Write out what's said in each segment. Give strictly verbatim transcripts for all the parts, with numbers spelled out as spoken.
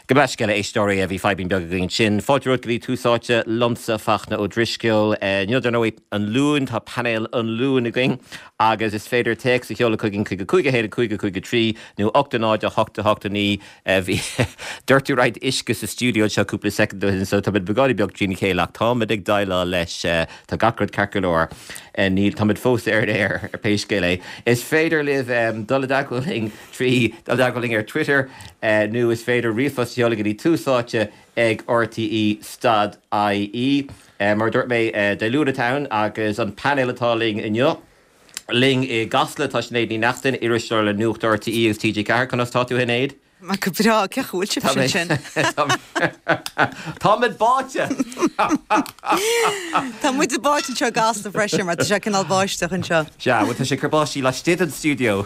Gabh mo leithscéal, a éisteoirí, bhí fadhbín beag againn ansin. Fáilte romhat go dtí Tús Áite liomsa, Fachtna Ó Drisceoil. Inniu, dar ndóigh, an Luan, tá painéal an Luain againn agus is féidir téacs a sheoladh chugainn chuig a cúig a haon a cúig a cúig a trí nó ocht a náid a hocht a hocht a naoi. Bhí doirteadh roinnt uisce sa stiúideo anseo cúpla soicind ó shin so táimid beagáinín beag trína chéile ach táimid ag déileáil leis. Tá gach rud ceart go leor. Níl, táimid fós ar an aer ar pé scéal é. Is féidir libh dul i dteagmháil linn trí dul i dteagmháil linn ar Twitter nó is féidir ríomhphost a sheoladh go dtí tús áite ag R T E stad I E. Mar a dúirt mé, Dé Luain atá ann agus an painéal atá linn inniu linn i gCasla tá Sinéad Ní Neachtain, iriseoir le Nuacht R T E agus T G Ceathair. Conas tá tú, Sinéad? Ma go breá. Cén chaoi a bhfuil sin? Táimid báite! Tá muid báite anseo i gCasla freisin mar tá sé cineál báisteach anseo. Sea, bhuel tá sé ag cur báistí laistigh den stiúideo.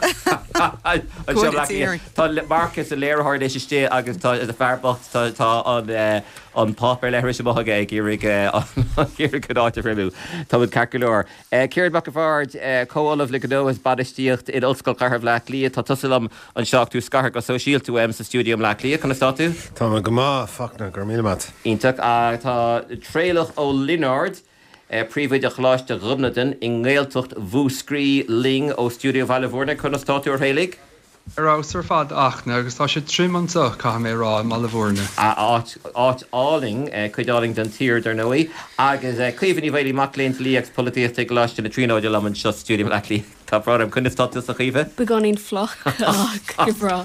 Tá Marcus an léiritheoir anois istigh agus tá a fear bocht tá tá an an páipéar leithris amuigh aige ag iarraidh iarraidh an áit a thriomú. Táimid ceart go leor. Ciarán Mac an Bhaird, comh-ollamh le gnó is bainistíocht in Ollscoil Chathair Bhaile Átha Cliath, tá tusa liom anseo ach tú scartha go sóisialta uaim sa stiúideo i mBleá Cliath. Conas tá tú? Tá mé go maith, Fachtna, go raibh míle maith. Iontach. Tá Traolach Ó Lionáird, príomhoide Choláiste Ghobnatan i nGaeltacht Mhúscraí linn ó stiúideo Bhaile Bhúirne. Conas tá tú, a Thraolaigh? Ar fheabhas ar fad, a Fhachtna, agus tá sé tirim anseo, caithfidh mé a rá, i mBaile Bhúirne. Áit, áit álainn, cuid álainn den tír, dar ndóigh. Agus Caoimhe Ní Mhaolaí, mac léinn dlí agus polaitíochta i gColáiste na Tríonóide liom anseo sa stiúideo i mBleá Cliath. Tá brón orm, conas tá tusa, a Chaoimhe? Beagáinín fliuch, ach go breá.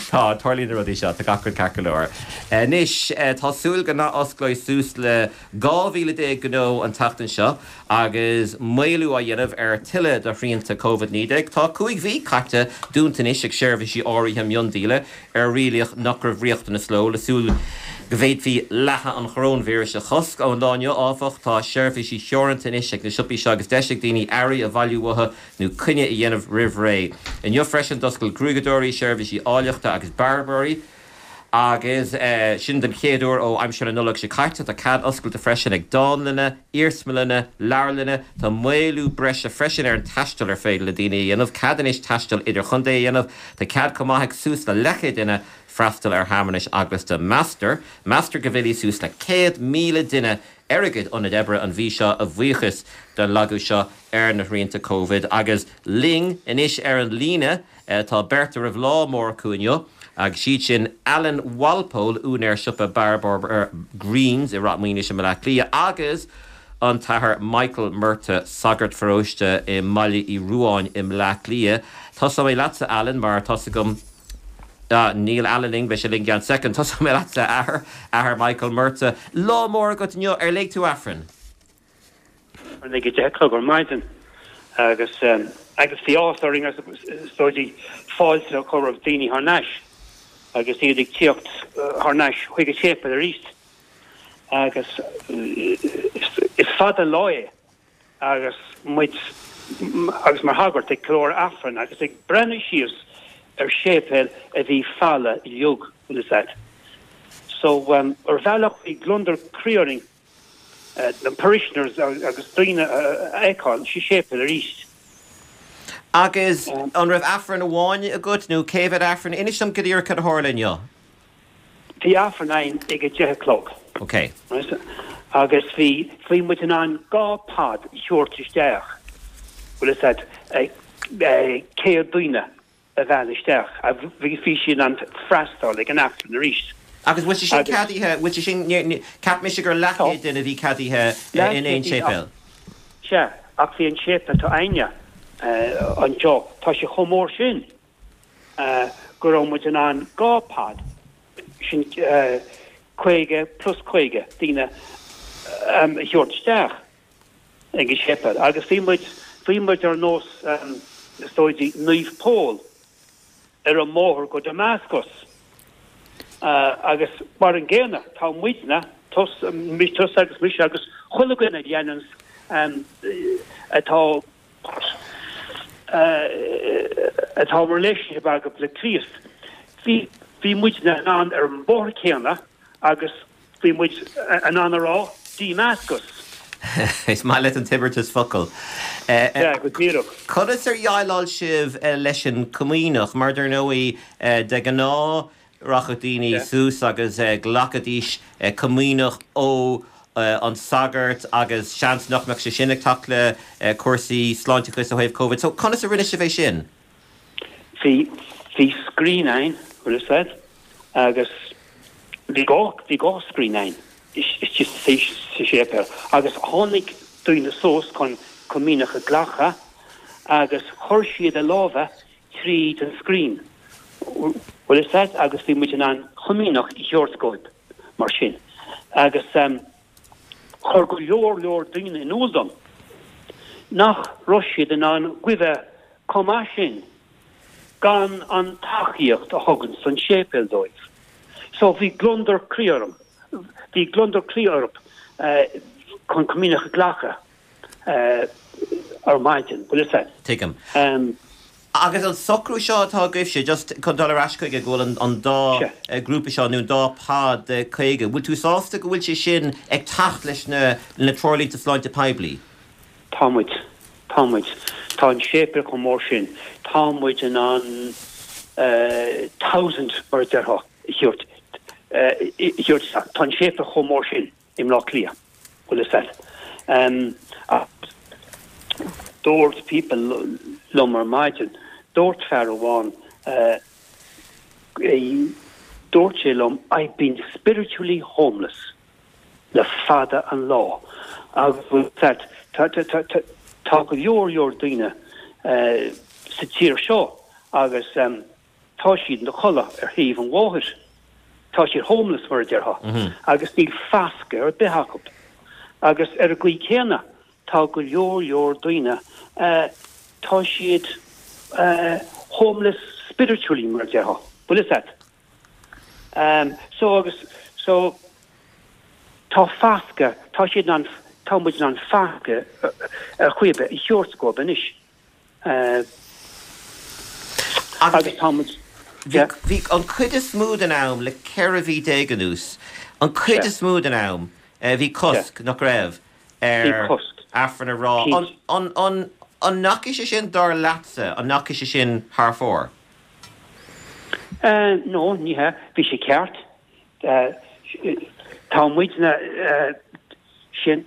Tá, tarlaíonn na rudaí seo, tá gach rud ceart go leor. Anois, tá súil go n-athosclóidh suas le dhá mhíle déag gnó an tseachtain seo agus maolú á dhéanamh ar tuilleadh de shrianta Covid naoi déag. Tá cúig mhí caite dúnta anois ag seirbhísí áirithe miondíola ar rialaíodh nach raibh riachtanas leo le súil go bhféadfaí leathadh an choróinvíris a chosc. Ón lá inniu, áfach, tá seirbhísí teoranta anois ag na siopaí seo agus deis ag daoine earraí a bhailiú uathu nó coinne a dhéanamh roimh ré. Inniu freisin d'oscail gruaigeadóirí, seirbhísí áilleachta agus bearbóirí. Agus sin den chéad uair ó aimsir na Nollag seo caite. Tá cead oscailte freisin ag dánlanna, iarsmalanna, leabharlanna. Tá maolú breise freisin ar an taisteal ar féidir le daoine a dhéanamh. Cead anois taisteal idirchontae a dhéanamh. Tá cead chomh maith ag suas le leathchéad duine freastal ar shearmanais eaglasta. Meastar Meastar go bhfillfidh suas le céad míle duine ar a gcuid ionad oibre an mhí seo a bhuíochas don lagú seo ar na srianta Covid. Agus linn anois ar an líne tá beirt a raibh lá mór acu inniu. Agus siad sin Alan Walpole, úinéir siopa Bearbóir Greens i Ráth Maoinis i mBleá Cliath, agus an tAthair Michael Murtagh, sagart pharóiste i mBaile Uí Ruáin i mBleá Cliath. Tosóidh mé leatsa, Alan, mar tá's agam ah, níl Alan linn, beidh sé linn i gceann soicind. Tosóidh mé leatsa, Athair, Athair Michael Murtagh. Lá mór agat inniu, ar léigh tú Aifreann? Ag a deich a chlog ar maidin agus agus bhí áthas orainn agus is dóigh fáilte a chur roimh daoine thar n-ais agus iad ag tíocht thar n-ais chuig an séipéal arís agus is fada an lá é agus muid agus mar shagart ag ceiliúradh Aifreann agus ag breathnú síos ar séipéal a bhí folamh uilig, bhfuil fhios a'd. So ar bhealach bhí gliondar croí orainn na parishioners agus daoine a fheiceáil sa séipéal arís. Agus an raibh Aifreann amháin agat nó cé mhéad Aifreann? Inis dom go díreach cad a tharla inniu. Bhí Aifreann againn ag a deich a chlog. Ok. Agus bhí, bhí muid in ann dhá pod a thabhairt isteach, bhfuil fhios a'd, céad duine. a mhealladh isteach agus bhí siad in ann freastal ag an Aifreann arís. Agus bhfuil sé sin ceadaithe, bhfuil sé sin, cheap mise gur leathchéad duine a bhí ceadaithe in aon séipéal? Sea, ach bhí an séipéal atá againne anseo, tá sé chomh mór sin go raibh muid in ann dhá pod, sin caoga plus caoga daoine a thabhairt isteach. ag an séipéal agus bhí muid, bhí muid ar nós, is dóigh, Naomh Pól ar an mbóthar go Damascus agus mar an gcéanna tá muidne, tusa agus mise agus chuile dhuine a dhéananns, atá, atá relationship agat le Críost, bhí, bhí muidne in ann ar an mbóthar céanna agus. Bhí muid in ann a rá Damascus. Is maith leat an t-imeartas focal. Sea, go díreach. Conas ar dhéileáil sibh leis an Comaoineach? Mar dar ndóigh, de ghnáth, rachadh daoine suas agus ghlacfaidís comaoineach ó an sagart agus seans nach mbeadh sé sin ag teacht le cúrsaí sláinteachais ó thaobh Covid. So conas a rinne sibh é sin? Bhí bhí screen ann, bhfuil fhios a'd, agus bhí dhá bhí dhá screen ann istigh sa séipéal agus tháinig daoine suas chun comaoineach a ghlacadh agus chuir siad a lámha tríd an screen, bhfuil fhios a'd, agus bhí muid in ann comaoineach a thabhairt dóibh mar sin. Agus chuir go leor leor daoine in iúl dom nach raibh siad in ann goimh chomh maith sin gan an tacaíocht a thugann an séipéal dóibh. So bhí gliondar croí orm, bhí gliondar croí orthu chun comaoineach a ghlacadh ar maidin, bhfuil fhios a'd. Tuigim. Agus an socrú seo atá agaibhse, just chun dul ar ais chuige, go bhfuil an dá grúpa seo nó an dá pod de caoga, bhfuil tú sásta go bhfuil sé sin ag teacht leis na na treoirlínte sláinte poiblí? Tá muid. Tá muid. Tá an séipéal chomh mór sin. Tá muid in ann thousand mar a déarfá a thabhairt a thabhairt isteach. Tá an séipéal chomh mór sin i mBleá Cliath, bhfuil fhios a'd. Dúirt people liom ar maidin, dúirt fear amháin, dúirt sé liom, I've been spiritually homeless le fada an lá. Agus bhfuil fhios a'd, tá, tá, tá, tá, tá go leor leor daoine sa tír seo agus tá siad ina chodladh ar thaobh an bhóthair. Tá siad homeless mar a déarfá agus níl fascadh ar bith acu. Agus ar an gcaoi céanna, tá go leor leor daoine, tá siad homeless spiritually mar a déarfá. Bhfuil fhios a'd? So agus, so tá fascadh, tá siad in ann, tá muid in ann fascadh ar chaoi ar bith a thabhairt dóibh anois. Agus tá muid, yeah. Bhí an chuid is mó den am le ceithre mhí déag anuas, an chuid is mó den am, bhí cosc, nach raibh, ar Aifreann a rá. An, an, an ndeachaigh sé sin, dar leatsa, an ndeachaigh sé sin thar fóir? No, ní hea. Bhí sé ceart. Tá muidne, sin,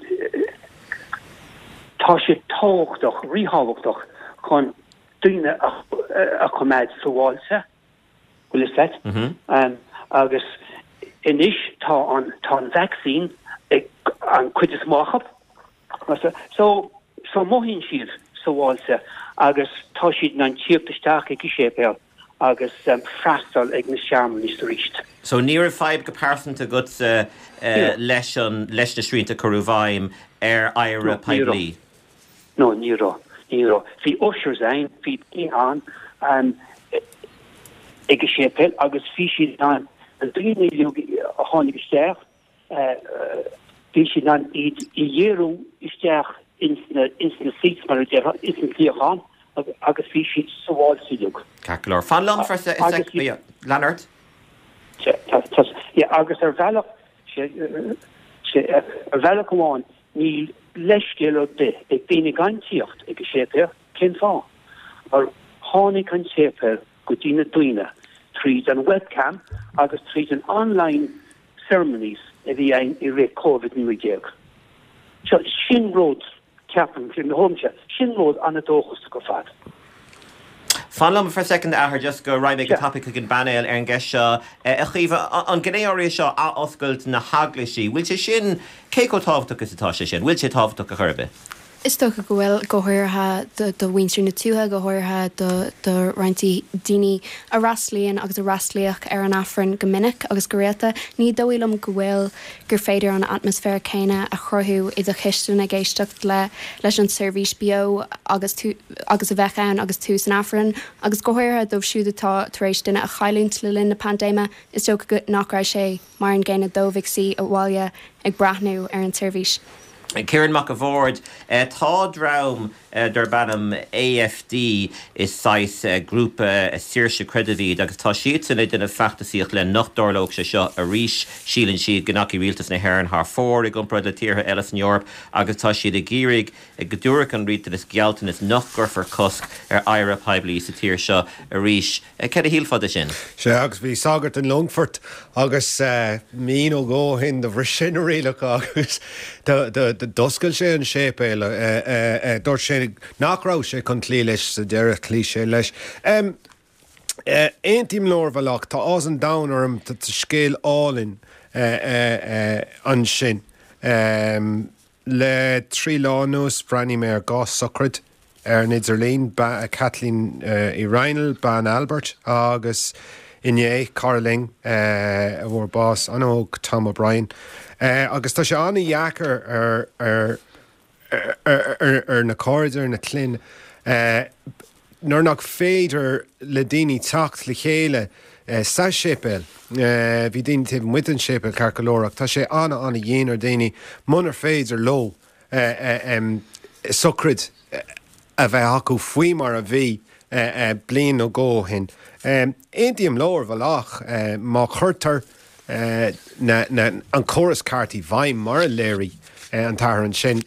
tá sé tábhachtach, ríthábhachtach chun daoine a choimeád sábháilte, bhfuil fhios a'd? Agus anois tá an, tá an vaccine ag an cuid is mó acu. So, so mothaíonn siad sábháilte agus tá siad in ann tíocht isteach ag an séipéal agus freastal ag na searmanais arís. So ní raibh fadhb go pearsanta agatsa leis an, leis na srianta a cuireadh i bhfeidhm ar adhradh poiblí? No, ní raibh. Ní raibh. Bhí ushers ann, bhí daoine ann ag an séipéal agus bhí siad in ann na daoine uilig a tháinig isteach, bhí siad in ann iad a dhíriú isteach ins na, ins na seats mar a déarfá, ins na suíocháin agus bhí siad sábháilte uilig. Ceart go leor. Fan liom for a sec, lean ort. Yeah, agus ar bhealach, ar bhealach amháin, níl leithscéal ar bith ag daoine gan tíocht ag an séipéal. Cén fáth? Mar tháinig an séipéal go dtí na daoine tríd an webcam agus tríd an online ceremonies a bhí ann i rith Covid naoi déag. So, sin rud, ceapaim, i mo thuairimse, sin rud an-dóchasach ar fad. Fan liom for a second, a Athair, just go raghaidh mé go tapaidh chuig an bpainéal ar an gceist seo. A Chaoimhe, an ghné áirithe seo, athoscailt na heaglaisí, bhfuil sé sin, cé chomh tábhachtach is atá sé sin? Bhfuil sé tábhachtach a chor ar bith? Is dócha go bhfuil, go háirithe do mhuintir na tuaithe, go háirithe do roinnt daoine a fhreastalaíonn agus a fhreastalaíodh ar an Aifreann go minic agus go rialta. Ní dóigh liom go bhfuil gur féidir an atmaisféar céanna a chruthú i do chistin ag éisteacht le leis an tseirbhís beo agus tú agus a bheadh ann agus tú san Aifreann agus go háirithe dóibh siúd atá tar éis duine a chailliúint le linn na paindéime, is dócha nach raibh sé mar an gcéanna dóibh ag suí abhaile ag breathnú ar an tseirbhís. Ciarán Mac a' Bhaird, tá dream darb ainm A F D, is saghas grúpa saoirse creidimh iad, agus tá siadsan ag déanamh feachtasaíocht le nach dtarlódh sé seo arís. Síleann siad go ndeachaigh rialtas na hÉireann thar fóir i gcomparáid le tíortha eile san Eoraip, agus tá siad ag iarraidh go dtabharfadh an rialtas gealltanas nach gcuirfear cosc ar adhradh poiblí sa tír seo arís. Cad a shílfeá de sin? Sea, agus bhí sagart in Longfort agus mí nó dhó ó shin do bhris sé na rialacha agus d'oscail sé an séipéal. Dúirt sé nach raibh sé chun cloí leis, sa deireadh chloígh sé leis. Aontaím leo ar bhealach, tá áthas an domhain orm, tá scéal álainn ansin. Le trí lá anuas bhreathnaigh mé ar dhá sochraid ar an idirlíon, Kathleen Uí Raghnaill, bean Albert, agus inné cara linn a bhfuair bás an-óg, Tom O'Brien. Agus tá sé an-dheacair ar ar ar na cairde, ar na clainn, nuair nach féidir le daoine teacht le chéile sa séipéal. Bhí daoine taobh amuigh den séipéal ceart go leor, ach tá sé an-an-dhian ar daoine munar féidir leo sochraid a bheith acu faoi mar a bhí bliain nó dhó ó shin. Aontaím leo ar bhealach, má chuirtear an córas ceart i bhfeidhm mar a léirigh an t-athair ansin,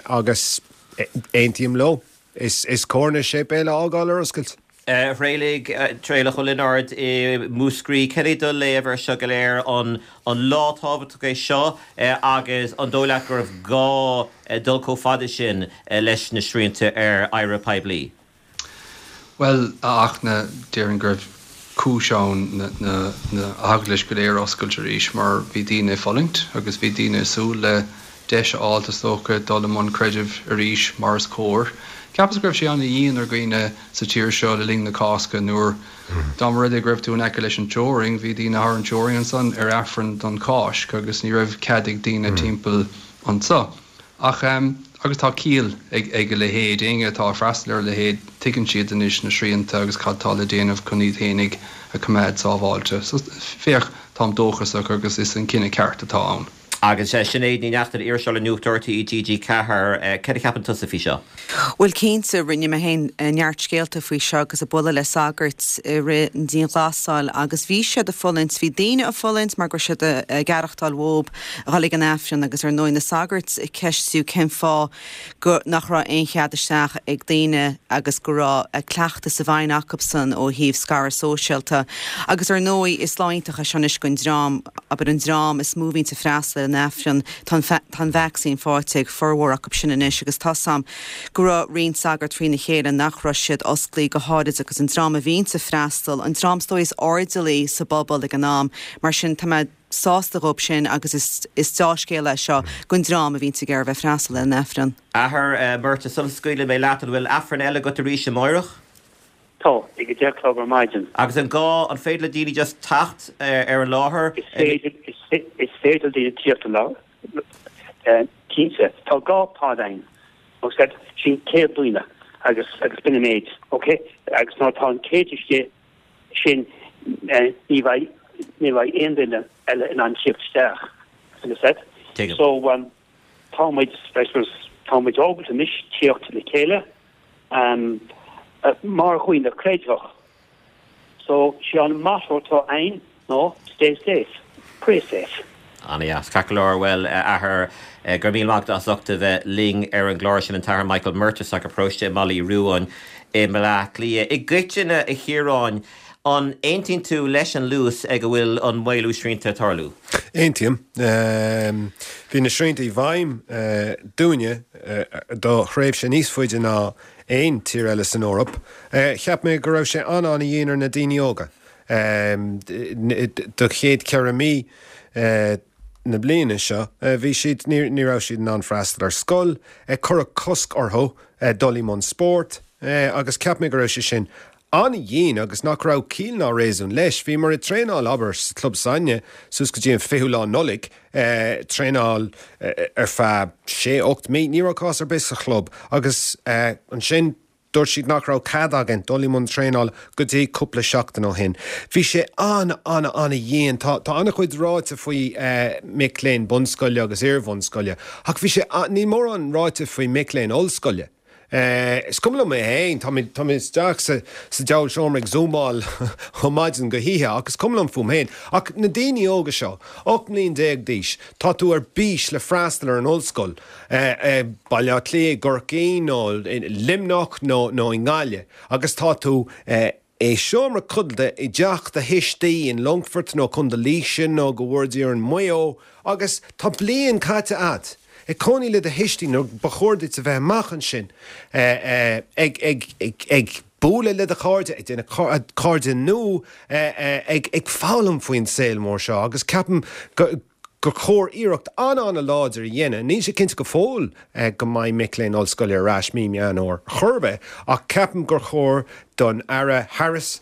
agus aontaím leo, is cóir na séipéil a fhágáil ar oscailt. A Thraolaigh, Traolach Ó Lionáird i Múscraí, cad é do léamh ar seo go léir, an lá tábhachtach é seo agus an dóigh leat go raibh gá dul chomh fada sin leis na srianta ar adhradh poiblí? Bhuel, a Fhachtna, déarfainn go raibh cúis ann na heaglais go léir a oscailt arís mar bhí daoine ag fulaingt agus bhí daoine ag súil le deis a fháilt, is dócha, dul i mbun creidimh arís mar is cóir. Cheapas go raibh sé an-dhian ar dhaoine sa tír seo le linn na Cásca nuair dá mba rud é go raibh tú in aice leis an teorainn, bhí daoine thar an teorainn ansan ar Aifreann don Cháisc agus ní raibh cead ag daoine timpeall anso. Ach agus tá ciall ag ag a leithéid, éinne atá ag freastal ar a leithéid, tuigeann siad anois na srianta agus cad tá le déanamh chun iad fhéinig a choimeád sábháilte. So féach, táim dóchasach agus is an cinneadh ceart atá ann. Agus Sinéad Ní Neachtain, iriseoir le Nuacht R T É T G ceathair, cad a cheapann tusa faoi seo? Bhuel cinnte, rinne mé féin neart scéalta faoi seo agus ag bualadh le sagairt i rith an dianghlasáil agus bhí siad ag fulaingt, bhí daoine ag fulaingt mar go raibh siad ag aireachtáil uathu a dhul ag an Aifreann agus ar ndóigh na sagairt ag ceistiú cén fáth go nach raibh aon chead isteach ag daoine agus go raibh cleachtas i bhfeidhm acusan ó thaobh scaradh sóisialta. Agus ar ndóigh is lá iontach é seo anois don dream, abair an dream is mó a bhíonn ag freastal ar an Aifreann, tá an vacsaín faighte ag formhór acu sin anois agus tá sam go raibh roinnt sagart trína chéile nach raibh siad osclaí go háirid agus an dream a bhíonn ag freastal, an dream is dóigh is airdeallaí sa bpobal ag an am, mar sin tá mé sásta dhób sin agus is is dea-scéal é seo don dream a bhíonn ag iarraidh bheith freastal ar an Aifreann. Athair Murtagh, sula scaoilfidh mé leat, an bhfuil Aifreann eile agat arís amárach? Tá, ag a deich a chlog ar maidin. Agus an gá, an féidir le daoine just teacht ar an láthair? Is féidir, is féidir daoine tíocht an láthair. Cinnte, tá dhá pod ann. Agus sin céad duine agus agus b'in an méid, ok? Agus nuair atá an céad istigh sin ní bheidh ní bheidh aon duine eile in ann tíocht isteach. Understand? Tuigim. So um, tá muid, I suppose, tá muid ábalta anois tíocht le chéile um, mar dhaoine creidmheach. So sé an motto atá ann ná stay safe, pray safe. An-deas, ceart go leor. Bhuel, athair, go raibh míle maith agat as ucht a bheith linn ar an gclár sin, an tAthair Michael Murtagh, sagart paróiste i mBaile Uí Ruáin i mBaile Átha Cliath. I gcoitinne, a Chiaráin, an aontaíonn tú leis an luas ag a bhfuil an maolú srianta ag tarlú? Aontaím. Bhí na srianta i bhfeidhm dúinne do thréimhse níos faide ná aon tír eile san Eoraip. Cheap mé go raibh sé an-an-dhian ar na daoine óga. Do chéad ceithre mí na bliana seo, bhí siad, ní raibh siad in ann freastal ar scoil, cuireadh cosc orthu dul i mbun spóirt agus cheap mé go raibh sé sin an-dhian agus nach raibh ciall ná réasún leis. Bhíomar ag traenáil, abair, sa club s'againne suas go dtí an fichiú lá Nollaig, traenáil ar feadh sé, ocht mí, ní raibh cás ar bith sa chlub agus ansin Dúirt siad nach raibh cead againn dul i mbun traenála go dtí cúpla seachtain ó shin. Bhí sé an-an-an-dhian. Tá tá an-chuid ráite faoi mic léinn bunscoile agus iarbhunscoile, ach bhí sé níl mórán ráite faoi mic léinn ollscoile. Is cuma liom mé féin, tá mé tá mé isteach sa sa diabhal seomra ag zúmáil ó maidin go hoíche ach is cuma liom fúm féin. Ach na daoine óga seo, ocht mbliain déag d'aois, tá tú ar bís le freastal ar an ollscoil, Baile Átha Cliath, i gCorcaigh nó i Luimneach nó nó i nGaillimh agus tá tú i seomra codlata i dteach do thuistí in Longfort nó Contae Laoise nó go bhfuair Dia orainn Maigh Eo agus tá bliain caite agat ag cónaí le do thuistí nuair ba chóir duit a bheith amach ansin ag ag ag ag bualadh le do chairde, ag déanamh cairde nua, ag ag foghlaim faoin saol mór seo agus ceapaim go gur chóir iarracht an-an-láidir a dhéanamh. Níl sé cinnte go fóill go mbeidh mic léinn ollscoile ar ais mí Meán Fhómhair chor ar bith ach ceapaim gur chóir don Aire Harris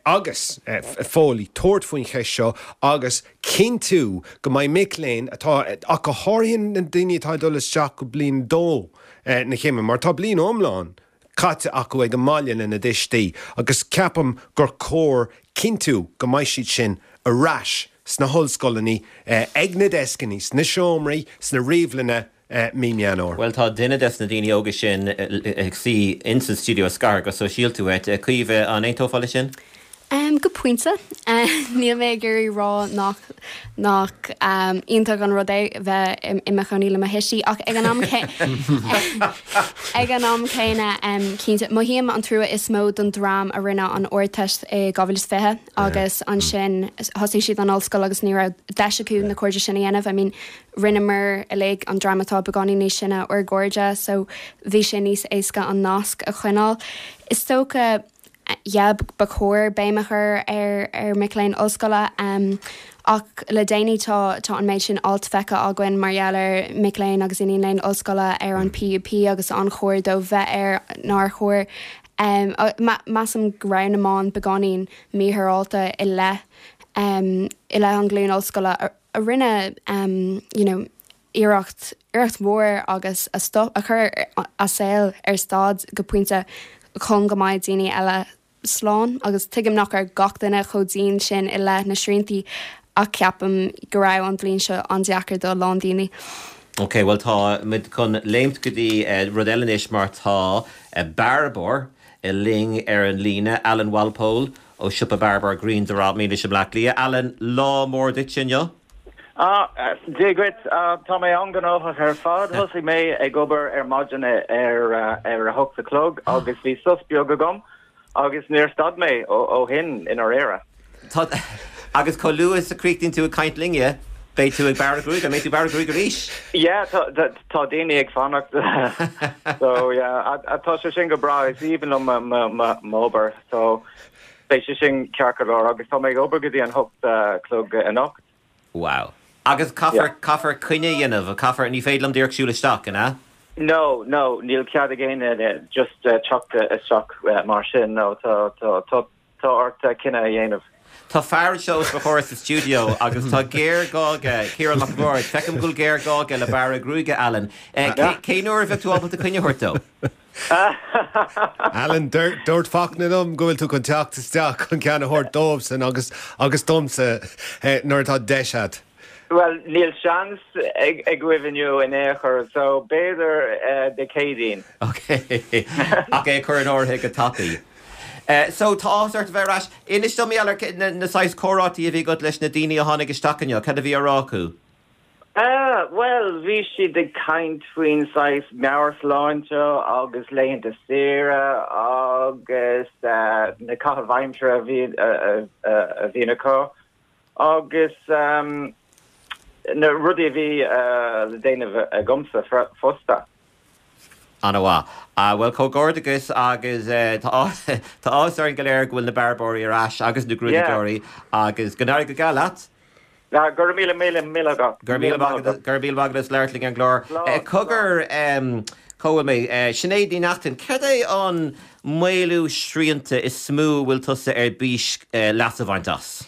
agus Foley tabhairt faoin cheist seo agus cinntiú go mbeidh mic léinn atá, ach go háirithe na daoine atá ag dul isteach go bliain dó na céime, mar tá bliain iomlán caite acu ag an mbaile lena dtuistí agus ceapaim gur chóir cinntiú go mbeidh siad sin ar ais sna hollscoileanna, ag na deascanna, sna seomraí, sna ríomhlanna mí Meán Fhómhair. Bhuel, tá duine des na daoine óga sin ag suí insa stiúideo scar go sóisialta uait. Caoimhe, an aontófá leis sin? Go pointe. Níl mé ag iarraidh rá nach nach iontach an rud é bheith i mo chónaí le mo thuistí ach ag an am ag an am céanna cinnte mothaím an trua is mó don dream a rinne an Ardteist i dhá mhíle is fiche agus ansin thosaigh siad an ollscoil agus ní raibh deis acu na cairde sin a dhéanamh. I mean rinneamar uilig an dream atá beagáinín níos sine ár gcairde so bhí sé níos éasca an nasc a choinneáil. Is dócha yeah ba chóir béim a chur ar ar mic léinn ollscoile ach le déanaí tá tá an méid sin alt feicthe againn mar gheall ar mic léinn agus iníon léinn ollscoile ar an P U P agus an chóir dóibh bheith air nár chóir. Measaim go raibh na meáin beagáinín mífhéaráilte i leith i leith an ghlúin ollscoile a rinne you know iarracht iarracht mhór agus a stop a chur a saol ar stad go pointe chun go mbeidh daoine eile slán agus tuigim nach raibh gach duine chomh dian sin i leith na sriantaí ach ceapaim go raibh an bhliain seo an-deacair do a lán daoine. Ok, bhuel tá muid chun léimt go dtí rud eile anois mar tá bearbóir linn ar an líne, Alan Walpole ó siopa bearbóir Green Drop Mílis i mBleá Cliath. Alan, lá mór duit inniu? Ah, Dia duit, tá mé an-ghnóthach ar fad. Thosaigh mé ag obair ar maidin ar ar a hocht a chlog agus bhí sos beag agam agus níor stad mé ó shin i ndáiríre. Tá agus chomh luath is a chríochnaíonn tú ag caint linne, beidh tú ag bearradh gruaige, an mbeidh tú ag bearradh gruaige arís? Yeah, tá daoine ag fanacht so yeah, tá sé sin go breá, is aoibhinn liom m'obair so beidh sé sin ceart go leor agus tá mé ag obair go dtí an hocht a chlog anocht. Wow. Agus caithfear caithfear coinne a dhéanamh, caithfear, ní féidir liom díreach siúl isteach, an ea? No, no, níl cead ag éinne just teacht isteach mar sin, no, tá tá tá tá ort cinneadh a dhéanamh. Tá fear anseo os mo chomhair sa stiúideo agus tá géarghá aige, Ciarán Mac an Bhaird, feicim go bhfuil géarghá aige le bearradh gruaige, Alan. Cén uair a bheadh tú ábalta coinne a thabhairt dó? Alan, dúirt Fachtna liom go bhfuil tú chun teacht isteach chun ceann a thabhairt dóibhsean agus agus domsa nuair atá deis agat. Bhuel, níl seans agaibh inniu in aon chor, so b'fhéidir Dé Céadaoin. Ok, ach é a chur in áirithe go tapaidh. So tá áthas ort a bheith ar ais. Inis dom mar gheall ar na saghas comhráití a bhí agat leis na daoine a tháinig isteach inniu, cad a bhí á rá acu? Bhuel, bhí siad ag caint faoin saghas meabhairshláinte agus laethanta saoire agus na caithimh aimsire a bhí a bhíonn acu agus na rudaí a bhí le déanamh agamsa fosta. An-mhaith. Bhuel, comhghairdeachas agus tá áthas orainn go léir go bhfuil na bearbóirí ar ais agus na gruaigeoirí agus go n-éirí go geal leat. Go raibh míle míle míle agat. Go raibh míle maith agat, go raibh míle maith agat as labhairt linn ar an gclár. Cogar, cá bhfuil mé? Sinéad Ní Neachtain, céard é an maolú srianta is mó a bhfuil tusa ar bís leas a bhaint as?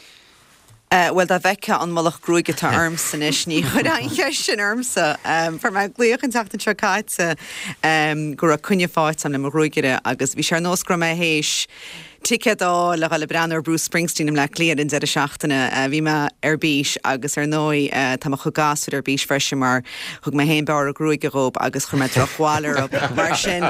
Bhuel, dá bhfeicfeá an mullach gruaige atá ormsa anois, ní chuirfeá an cheist sin ormsa. Fuair mé glaoch an tseachtain seo caite go raibh coinne faighte agam le mo ghruagaire agus bhí sé ar nós go raibh mé théis ticéad a fháil le dhul ag breathnú ar Bruce Springsteen i mBleá Cliath ar an deireadh seachtaine. Bhí mé ar bís agus ar ndóigh tá mo chuid gasúir ar bís freisin mar thug mé féin bearradh gruaige dhób agus chuir mé drochbhail orthu. Mar sin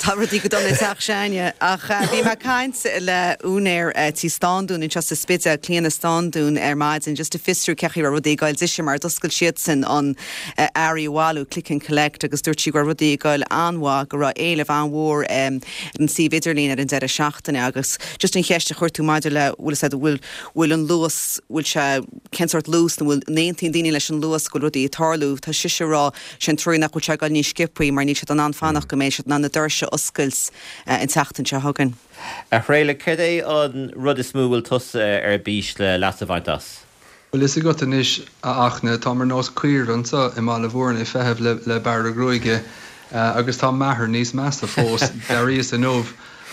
tá rudaí go dona i dteach s'againne. Ach bhí mé ag caint le úinéir tí Standún anseo sa Spidéal, Clíona Standún ar maidin just ag fiosrú cén chaoi a raibh rudaí ag goil dise mar d'oscail siadsan an earraí a bhailiú, click and collect, agus dúirt sí go raibh rudaí ag goil an-mhaith, go raibh éileamh an-mhór ar an suíomh idirlín ar an deireadh seachtaine. Agus just an cheist a chuir tú maidir le bhfuil said bhfuil bhfuil an luas bhfuil sé cén sórt luas nó bhfuil n-aontaíonn daoine leis an luas go bhfuil rudaí ag tarlú tá sise ag rá sin trua nach bhfuil sé ag goil níos sciobthaí mar níl siad in ann fanacht go mbeidh siad in ann na doirse a oscailt an tseachtain seo chugainn. A Thraolaigh, céard é an rud is mó a bhfuil tusa ar bís le leas a bhaint as? Bhuel fhios agat anois a Fhachtna, táim ar nós caoire anseo i mBaile Bhúirne ag feitheamh le le bearradh gruaige agus tá m'athair níos measa fós, d'éiríos inniu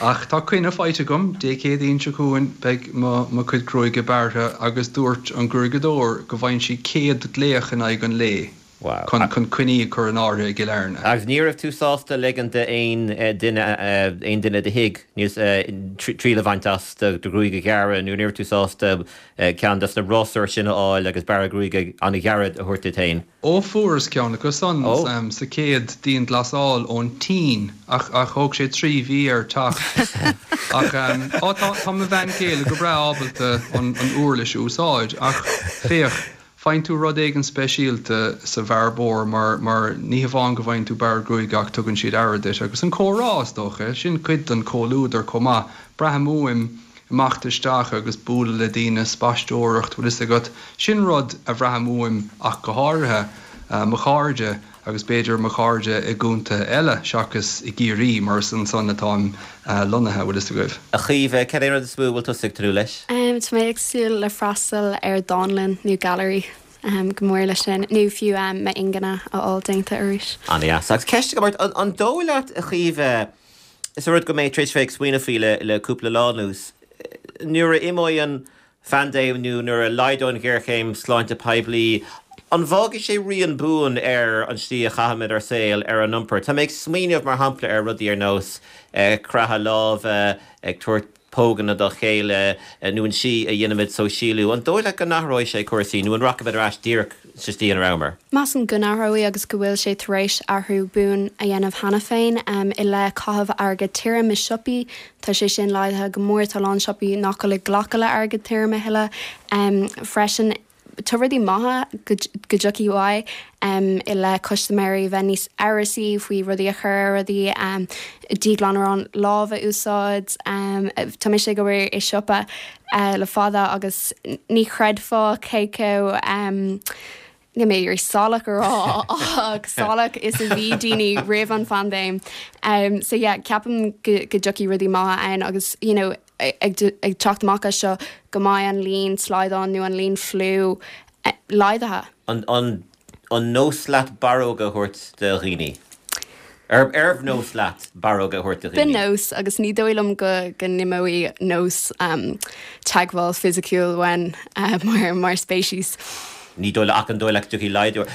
ach tá coinne faighte agam, Dé Céadaoin seo chugainn beidh mo mo chuid gruaige bearrtha agus dúirt an gruaigeadóir go bhfaigheann sí céad glaoch in aghaidh an lae Wow. chun chun coinní a chur in áirithe i gCill Airne. Agus ní raibh tú sásta ligean d'aon duine aon duine i do thigh níos triail a bhaint as do do ghruaig a ghearradh nó ní raibh tú sásta ceann des na rásúir sin a fháil agus bearradh gruaige an-ghairid a thabhairt duit féin? Ó fuaireas ceann acu san Ó. sa chéad dianghlasáil ón tSín ach ach thóg sé trí mhí air teacht. Ach á tá tá mo bhean chéile go breá ábalta an an uirlis a úsáid ach féach faigheann tú rud éigin speisialta sa bhearbóir mar mar ní hamháin go bhfaigheann tú bearradh gruaige ach tugann siad aire duit agus an comhrá is dócha, sin cuid den chomhluadar chomh maith. Braithim uaim imeacht isteach agus bualadh le daoine, spaisteoireacht, bhfuil fhios agat, sin rud a bhraithim uaim ach go háirithe, mo chairde agus b'fhéidir mo chairde i gcontaetha eile seachas i gCiarraí mar is ansan atáim lonnaithe, bhfuil fhios agaibh. A Chaoimhe, cad é an rud is mó a bhfuil tusa ag tnúth leis? Tá mé ag súil le freastal ar dánlann nó gallery go mór leis sin, nó fiú m'ingne a fháil déanta arís. An-deas. Agus ceist agam ort, an dóigh leat, a Chaoimhe, is rud go mbeidh tar éis bheith ag smaoineamh faoi le le cúpla lá anuas, nuair a imeoidh an phaindéim nó nuair a laghdóidh an ghéarchéim sláinte poiblí, an bhfágfaidh sé rian buan ar an slí a chaithimid ár saol, ar an iompar? Tá mé ag smaoineamh mar shampla ar rudaí ar nós croitheadh láimhe, ag tabhairt póganna dá chéile nó an tslí a dhéanaimid sóisialú. An dóigh leat go n-athróidh sé cúrsaí nó an rachaimid ar ais díreach sa tslí ina rabhamar? Measaim go n-athróidh agus go bhfuil sé tar éis athrú buan a dhéanamh cheana féin i leith caitheamh airgead tirim i siopaí. Tá sé sin laghdaithe go mór, tá a lán siopaí nach bhfuil ag glacadh le airgead tirim a thuilleadh. Freisin, tá rudaí maithe go dtiocfaidh uaidh i leith custaiméirí bheith níos amhrasaí faoi rudaí a chur ar rudaí, díghlanadh lámh a úsáid. Tá mise ag obair i siopa le fada agus ní chreidfeá cé chomh, níl mé ag iarraidh salach a rá ach salach is a bhí daoine roimh an phaindéim. So yeah, ceapaim go dtiocfaidh rudaí maithe ann agus you know ag teacht amach as seo go mbeidh an líon slaghdán nó an líon fliú laghdaithe. An an an nós leat barróga a thabhairt do dhaoine? Ar arbh nós leat barróga a thabhairt do dhaoine? B'nós agus ní dóigh liom go go n-imeoidh nós teagmháil fisiciúil uainn mar mar speiceas. Ní dóigh ach an dóigh leat go dtiocfaidh laghdú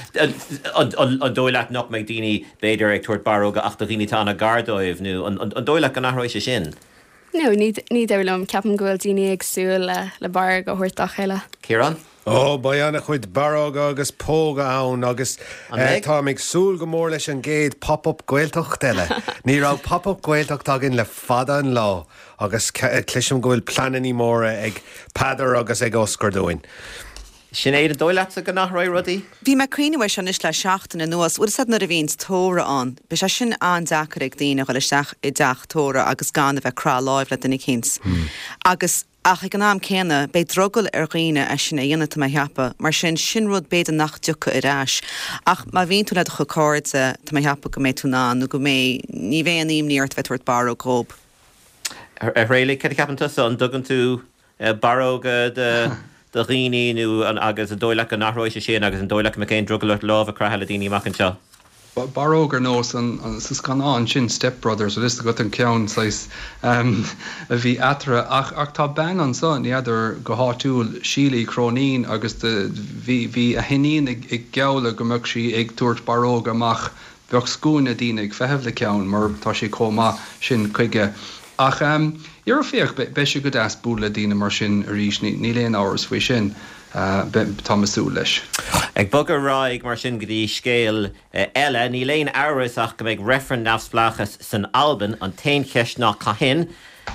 an an dóigh leat nach mbeidh daoine b'fhéidir ag tabhairt barróga ach do dhaoine atá an-ghar dóibh nó an an dóigh leat go n-athróidh sé sin? No, ní ní dóigh liom. Ceapaim go bhfuil daoine ag súil le le barróg a thabhairt dá chéile. Ciarán? Ó, beidh an-chuid barróga agus póga ann agus An mbeidh? táim ag súil go mór leis an gcéad pop-up Gaeltacht eile. Ní raibh pop-up Gaeltacht againn le fada an lá agus cloisim go bhfuil pleananna móra ag Peadar agus ag Oscar dúinn. Sinéad, an dóigh leatsa go n-athróidh rudaí? Bhí mé ag cuimhneamh air seo anois le seachtain anuas. Bhfuil fhios agat nuair a bhíonns tórramh ann, beidh sé sin an-deacair ag daoine a dhul isteach i dteach tórraimh agus gan a bheith ag croitheadh láimh le duine eicínt. Agus, ach ag an am céanna, beidh drogall ar dhaoine é sin a dhéanamh, tá mé a cheapadh. Mar sin, sin rud b'fhéidir nach dtiocfaidh ar ais. Ach má bhíonn tú le do chuid cairde, tá mé a cheapadh go mbeidh tú in ann, nó go mbeidh, ní bheidh aon imní ort a bheith ag tabhairt barróg dhób. A Thraolaigh, cad a cheapann tusa? An dtugann tú barróga do do dhaoine nó an agus an dóigh leat go n-athróidh sé sin agus an dóigh leat go mbeidh aon drogall ort lámh a chroitheadh le daoine amach anseo? Barróg ar nós an sa scannán sin Step Brothers bhfuil fhios agat an ceann saghas a bhí eatarthu ach ach tá bean anso ní fheadar go háitiúil Síle Uí Chróinín agus bhí bhí a hiníon ag ag gealladh go mbeadh sí ag tabhairt barróga amach bheadh scuaine daoine ag feitheamh le ceann mar tá sé chomh maith sin chuige. Ach you know féach beidh sé go deas bualadh le daoine mar sin arís níl aon amhras faoi sin. Tá mé ag súil leis. Ag bogadh ar aghaidh mar sin go dtí scéal eile, níl aon amhras ach go mbeidh reifreann neamhspleáchais san Albain, an t-aon cheist ná cathain.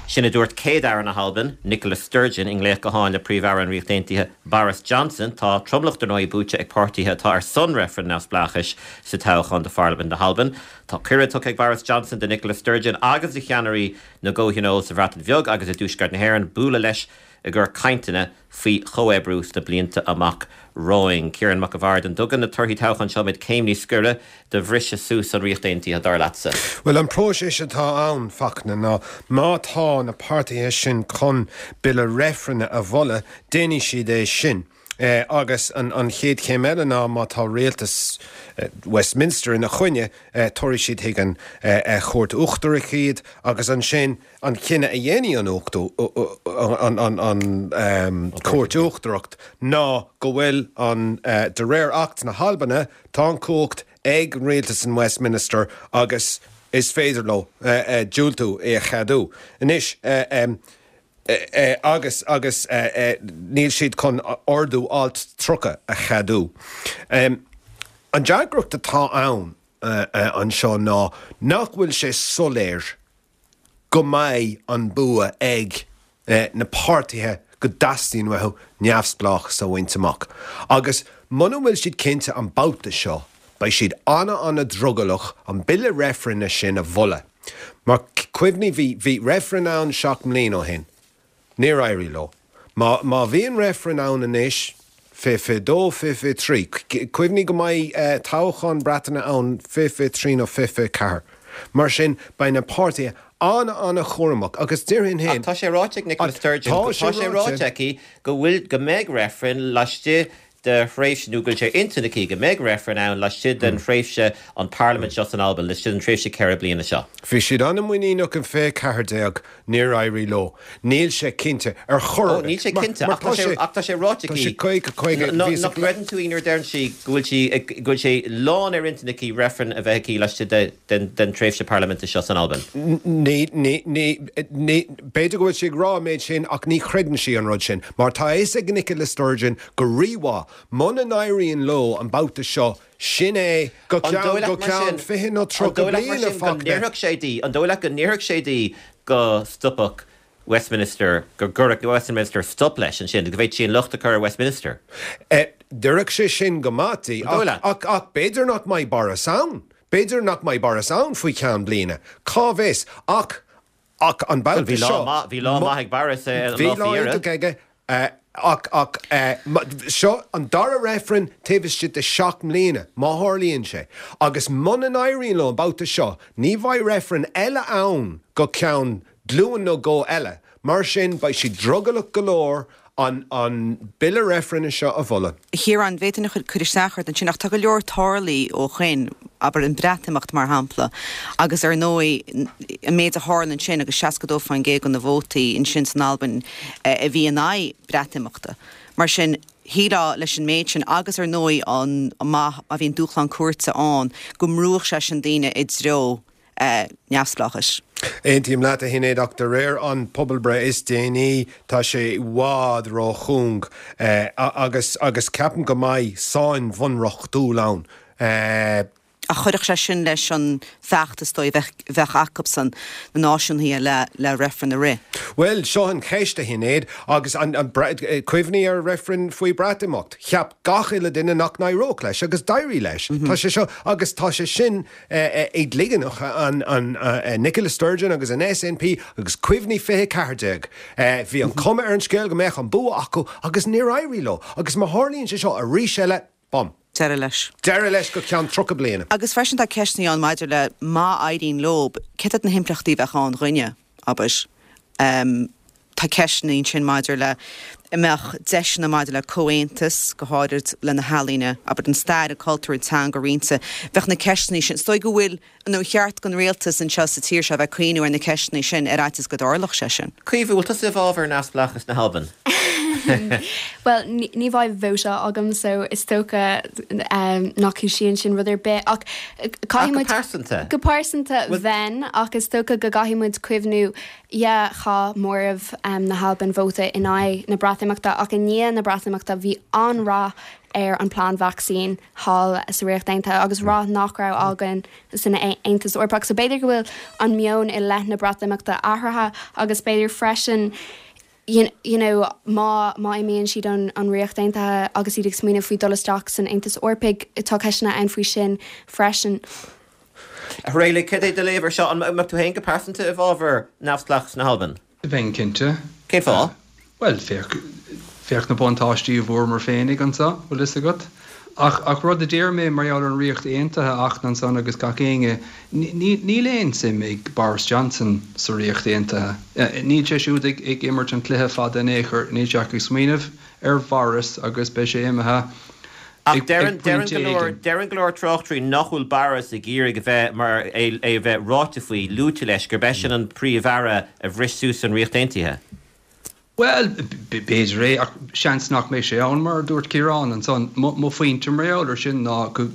Sin a dúirt Céad-Aire na hAlban, Nicola Sturgeon, i nglaoch gutháin le Príomh-Aire an Ríocht Aontaithe, Boris Johnson. Tá tromlach dar ndóigh buaite ag páirtithe atá ar son reifreann neamhspleáchais sa toghchán do Pharlaimint na hAlban. Tá cuireadh tugtha ag Boris Johnson do Nicola Sturgeon agus do cheannairí na gcomhthionól sa Bhreatain Bheag agus i dTuaisceart na hÉireann bualadh leis i gcomhair cainteanna faoi chomhoibriú sna blianta amach romhainn. Ciarán Mac an Bhaird, an dtugann na torthaí toghcháin seo muid céim níos gaire do bhriseadh suas an Ríocht Aontaithe, dar leatsa? Bhuel, an próiseas atá ann, Fachtna, ná má tá na páirtithe sin chun bille reifrinne a mholadh, déanfaidh siad é sin. Agus an chéad chéim eile ná má tá rialtas Westminster ina choinne, tabharfaidh siad chuig an Chúirt Uachtarach iad agus ansin an cinneadh a dhéanfaidh an an Chúirt Uachtarach ná go bhfuil an, de réir Acht na hAlbana, tá an chumhacht ag an rialtas in Westminster agus is féidir leo diúltú é a cheadú. Anois. agus agus níl siad chun ordú alt tríocha a cheadú. An deacracht atá ann anseo ná nach bhfuil sé soiléir go mbeidh an bua ag na páirtithe go dteastaíonn uathu neamhspleáchas a bhaint amach. Agus muna bhfuil siad cinnte an babhta seo, beidh siad ana-ana-drogallach an bille reifrinne sin a mholadh. Mar cuimhnigh, bhí, bhí reifreann ann seacht mbliana ó shin. Níor éirigh leo. Má, má bhíonn reifreann ann anois, fiche fiche dó, fiche fiche trí, cuimhnigh go mbeidh toghchán Breataine ann fiche fiche trí nó fiche fiche ceathair. Mar sin, beidh na páirtithe an-an-chúramach agus déarfainn féin. Ach tá sé ráite ag Nicola Sturgeon, tá sé ráite aici go bhfuil, go mbeidh reifreann laistigh de thréimhse, nó go bhfuil sé ar intinn aici go mbeidh reifreann ann laistigh den thréimhse an Pharlaimint seo san Albain, laistigh den tréimhse ceithre bliana seo. Bhí siad an-mhuiníneach in fiche ceathair déag, níor éirigh leo. Níl sé cinnte ar chor ar bith. Ó, níl sé cinnte, ach tá sé, ach tá sé ráite aici. Tá sé caoga, caoga, bhí Nach gcreideann tú í nuair a deireann sí go bhfuil sí, go bhfuil sé lán ar intinn aici reifreann a bheith aici laistigh de, den, den tréimhse parlaiminte seo san Albain? Ní, ní, ní, ní, b'fhéidir go bhfuil sí ag rá an méid sin ach ní chreideann sí an rud sin, mar tá a fhios ag Nicola Sturgeon go rímhaith muna n-éiríonn leo an babhta seo, sin é go An ceann, dóigh leat go mar ceann sin, fiche nó an tríocha dóigh leat mar bliain a sin go Fachtna. ndéarfadh sé di, an dóigh leat go ndéarfadh sé di go stopfadh Westminster, go gcuirfeadh Westminster stop leis ansin, go bhféadfadh sí an locht a chur ar Westminster? D'oirfeadh sé sin go maith di, An dóigh ach, leat? ach, ach b'fhéidir nach mbeidh Boris ann. B'fhéidir nach mbeidh Boris ann faoi cheann bliana. Cá bhfios? Ach, ach an Bhuel, babhta bhí lá seo, maith, bhí lá má, maith ag Boris an bhí lá lá faoi dheireadh. iontach aige, ach, ach, seo an dara reifreann taobh istigh de seacht mbliana, má tharlaíonn sé. Agus muna n-éiríonn leo an babhta seo, ní bheidh reifreann eile ann go ceann glúin nó dhó eile. Mar sin, beidh siad drogallach go leor an an bille reifrinne seo a mholadh. A Chiaráin, bhféadfainn cur isteach ort ansin ach tá go leor tarlaithe ó shoin, abair an Breatimeacht mar shampla, agus ar ndóigh an méid a tharla ansin agus seasca dó faoin gcéad de na vótaí ansin san Albain a bhí in aghaidh Breatimeachta. Mar sin, shílfeá leis an méid sin agus ar ndóigh an má má bhíonn dúshlán cúirte ann go mbrúfadh sé sin daoine i dtreo neamhspleáchais. Aontaím leat, a Shinéad, ach de réir an pobalbreith is déanaí, tá sé i bhfad ró-chúng agus agus ceapaim go mbeidh sáinn bhunreachtúil ann. Ach chuirfeadh sé sin leis an feachtas dóigh a bheadh acusan, na náisiúnaithe, le le reifreann a rith. Bhuel, seo an cheist, a Shinéad, agus an cuimhnigh ar reifreann faoi Breatimeacht. Cheap gach uile duine nach n-éireodh leis agus d'éirigh leis. Tá sé seo, agus tá sé sin éadligeanach, an Nicola Sturgeon agus an SNP agus cuimhnigh fiche ceathair déag. Bhí an chuma ar an scéal go mbeadh an bua acu agus níor éirigh leo. Agus má tharlaíonn sé seo arís eile, bum. Deireadh leis. Deireadh leis go ceann tríocha bliana. Agus freisin tá ceisteanna ann maidir le má éiríonn leo, céard iad na himpleachtaí a bheadh ann dhúinne, abair. Tá ceisteanna ansin maidir le an mbeadh deiseanna maidir le comhaontas, go háirid le na healaíona, abair an stair, an cultúr, an teanga roinnte. Bheadh na ceisteanna sin, is dóigh go bhfuil, nó cheart don rialtas anseo sa tír seo a bheith ag cuimhniú ar na ceisteanna sin ar fhaitíos go dtarlódh sé sin. Caoimhe, bhfuil tusa i bhfabhar neamhspleáchas na hAlban? Bhuel, ní bheidh vóta agam so is dócha nach gciallaíonn sin rud ar bith ach caithfidh muid. Ach go pearsanta? Go pearsanta bheinn ach is dócha go gcaithfidh muid cuimhniú, yeah, chaith móramh na hAlban vóta in aghaidh na Breatimeachta ach i ndiaidh na Breatimeachta bhí an-rath ar an plean vacsaín thall sa Ríocht Aontaithe agus rath nach raibh againn san Aontas Eorpach. So b'fhéidir go bhfuil an meon i leith na Breatimeachta athraithe agus b'fhéidir freisin you you know má má imíonn siad ón an Ríocht Aontaithe agus iad ag smaoineamh faoi dul isteach san Aontas Eorpaigh, tá ceisteanna ann faoi sin freisin. A Thraolaigh, cad é do léamh ar seo? An mbeadh tú féin go pearsanta i bhfabhar neamhspleáchas na hAlban? Bheinn cinnte. Cén fáth? Bhuel, féach, féach na buntáistí a bhfuaireamar féinig anso, bhfuil fhios agat. Ach, ach rud a deir mé mar gheall ar an Ríocht Aontaithe, a Fhachtna ansan agus gach éinne, ní, níl aon suim ag Boris Johnson sa Ríocht Aontaithe. Níl sé siúd ag, ag imirt an cluiche fada in aon chor, níl sé ach ag smaoineamh ar Bhoris agus beidh sé imithe Ach ag, ag deireann, deireann pointe go leor, éigin. deireann go leor tráchtairí nach bhfuil Boris ag iarraidh a bheith mar é, é a bheith ráite faoi, luaite leis, gurb eisean an Príomh-Aire a bhris suas an Ríocht Aontaithe. Bhuel, b'fhéidir é, ach seans nach mbeidh sé ann, mar a dúirt Ciarán ansan. Mo phointe mar gheall air sin ná go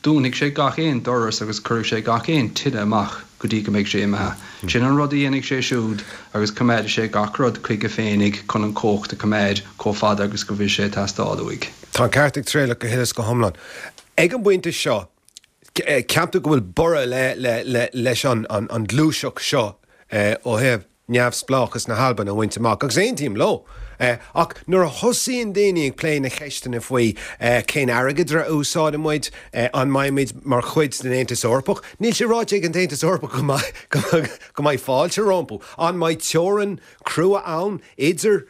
dúnfaidh sé gach aon doras agus cuirfidh sé gach aon tine amach go dtí go mbeidh sé imithe. Sin an rud a dhéanfaidh sé siúd agus coimeádfaidh sé gach rud chuige féinig chun an chumhacht a choimeád chomh fada agus go bhfuil sé ag teastáil uaidh. Tá an ceart ag Traolach go huile is go hiomlán. Ag an bpointe seo, ceaptar go bhfuil borradh leis an ngluaiseacht seo ó thaobh neamhspleáchas na hAlban a bhaint amach, agus aontaím leo. Ach nuair a thosaíonn daoine ag plé na ceisteanna faoi cén airgeadra a úsáideann muid, an mbeidh muid mar chuid den Aontas Eorpach, níl sé ráite ag an tAontas Eorpach go mbeidh go mbeidh fáilte rompu, an mbeidh teorainn crua ann idir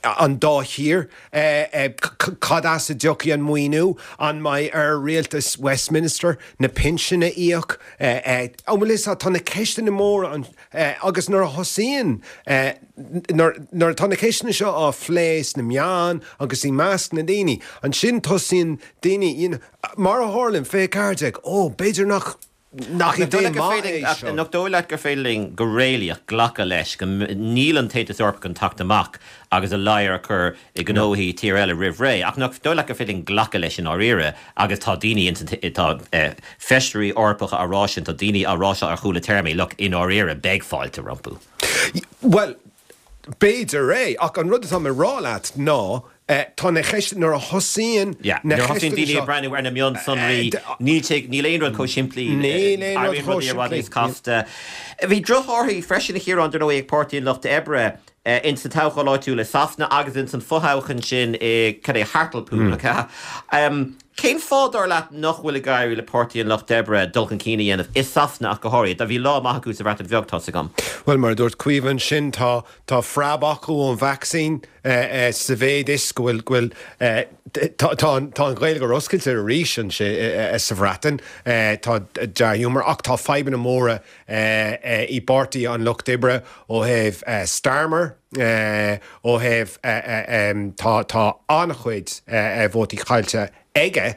an dá thír, cad as a dtiocfaidh an maoiniú, an mbeidh ar rialtas Westminster na pinsin a íoc, an bhfuil fhios agat, tá na ceisteanna móra ann agus nuair a thosaíonn, nuair atá na ceisteanna seo á phlé sna meáin agus i measc na ndaoine, ansin tosaíonn daoine, you know, mar a tharla in fiche ceathair déag, ó, b'fhéidir nach. Nach idéal maith é seo? Nach dóigh leat gur féidir linn go réalaíoch glacadh leis go níl an tAontas Eorpach chun teacht amach agus a ladhar a chur i ngnóthaí tír eile roimh ré, ach nach dóigh leat gur féidir linn glacadh leis i ndáiríre agus tá daoine ins an tá feisirí Eorpacha á rá sin, tá daoine á rá seo ar chúla téarmaí, look, i ndáiríre beidh fáilte rompu. Bhuel, b'fhéidir é, ach an rud atá mé a rá leat ná tá na ceisteanna, nuair a thosaíonn Yeah, na nuair a thosaíonn ceisteanna daoine seo, ag breathnú ar na mionsonraí, níl sé, níl aon rud chomh simplí, Níl aon rud éiríonn chomh rudaí i bhfad simplí. níos casta. Bhí drochthorthaí freisin, a Chiaráin, dar ndóigh, ag Páirtí an Lucht Oibre ins na toghcháin áitiúla i Sasana agus ins an fothoghchán sin i, cad é, Hartlepool, nach ea? Cén fáth, dar leat, nach bhfuil ag éirí le Páirtí an Lucht Oibre dul chun cinn a dhéanamh, i Sasana ach go háirithe? Bhí lá maith acu sa Bhreatain Bheag, tá's agam. Bhuel, mar a dúirt Caoimhe ansin, tá tá preab acu ón vacsaín sa mhéid is go bhfuil go bhfuil tá tá an tá an Ghaeilge ar oscailte arís ansin sa Bhreatain, tá dea-ghiúmar ach tá fadhbanna móra i bPáirtí an Lucht Oibre ó thaobh Starmer, ó thaobh tá tá an-chuid vótaí caillte aige,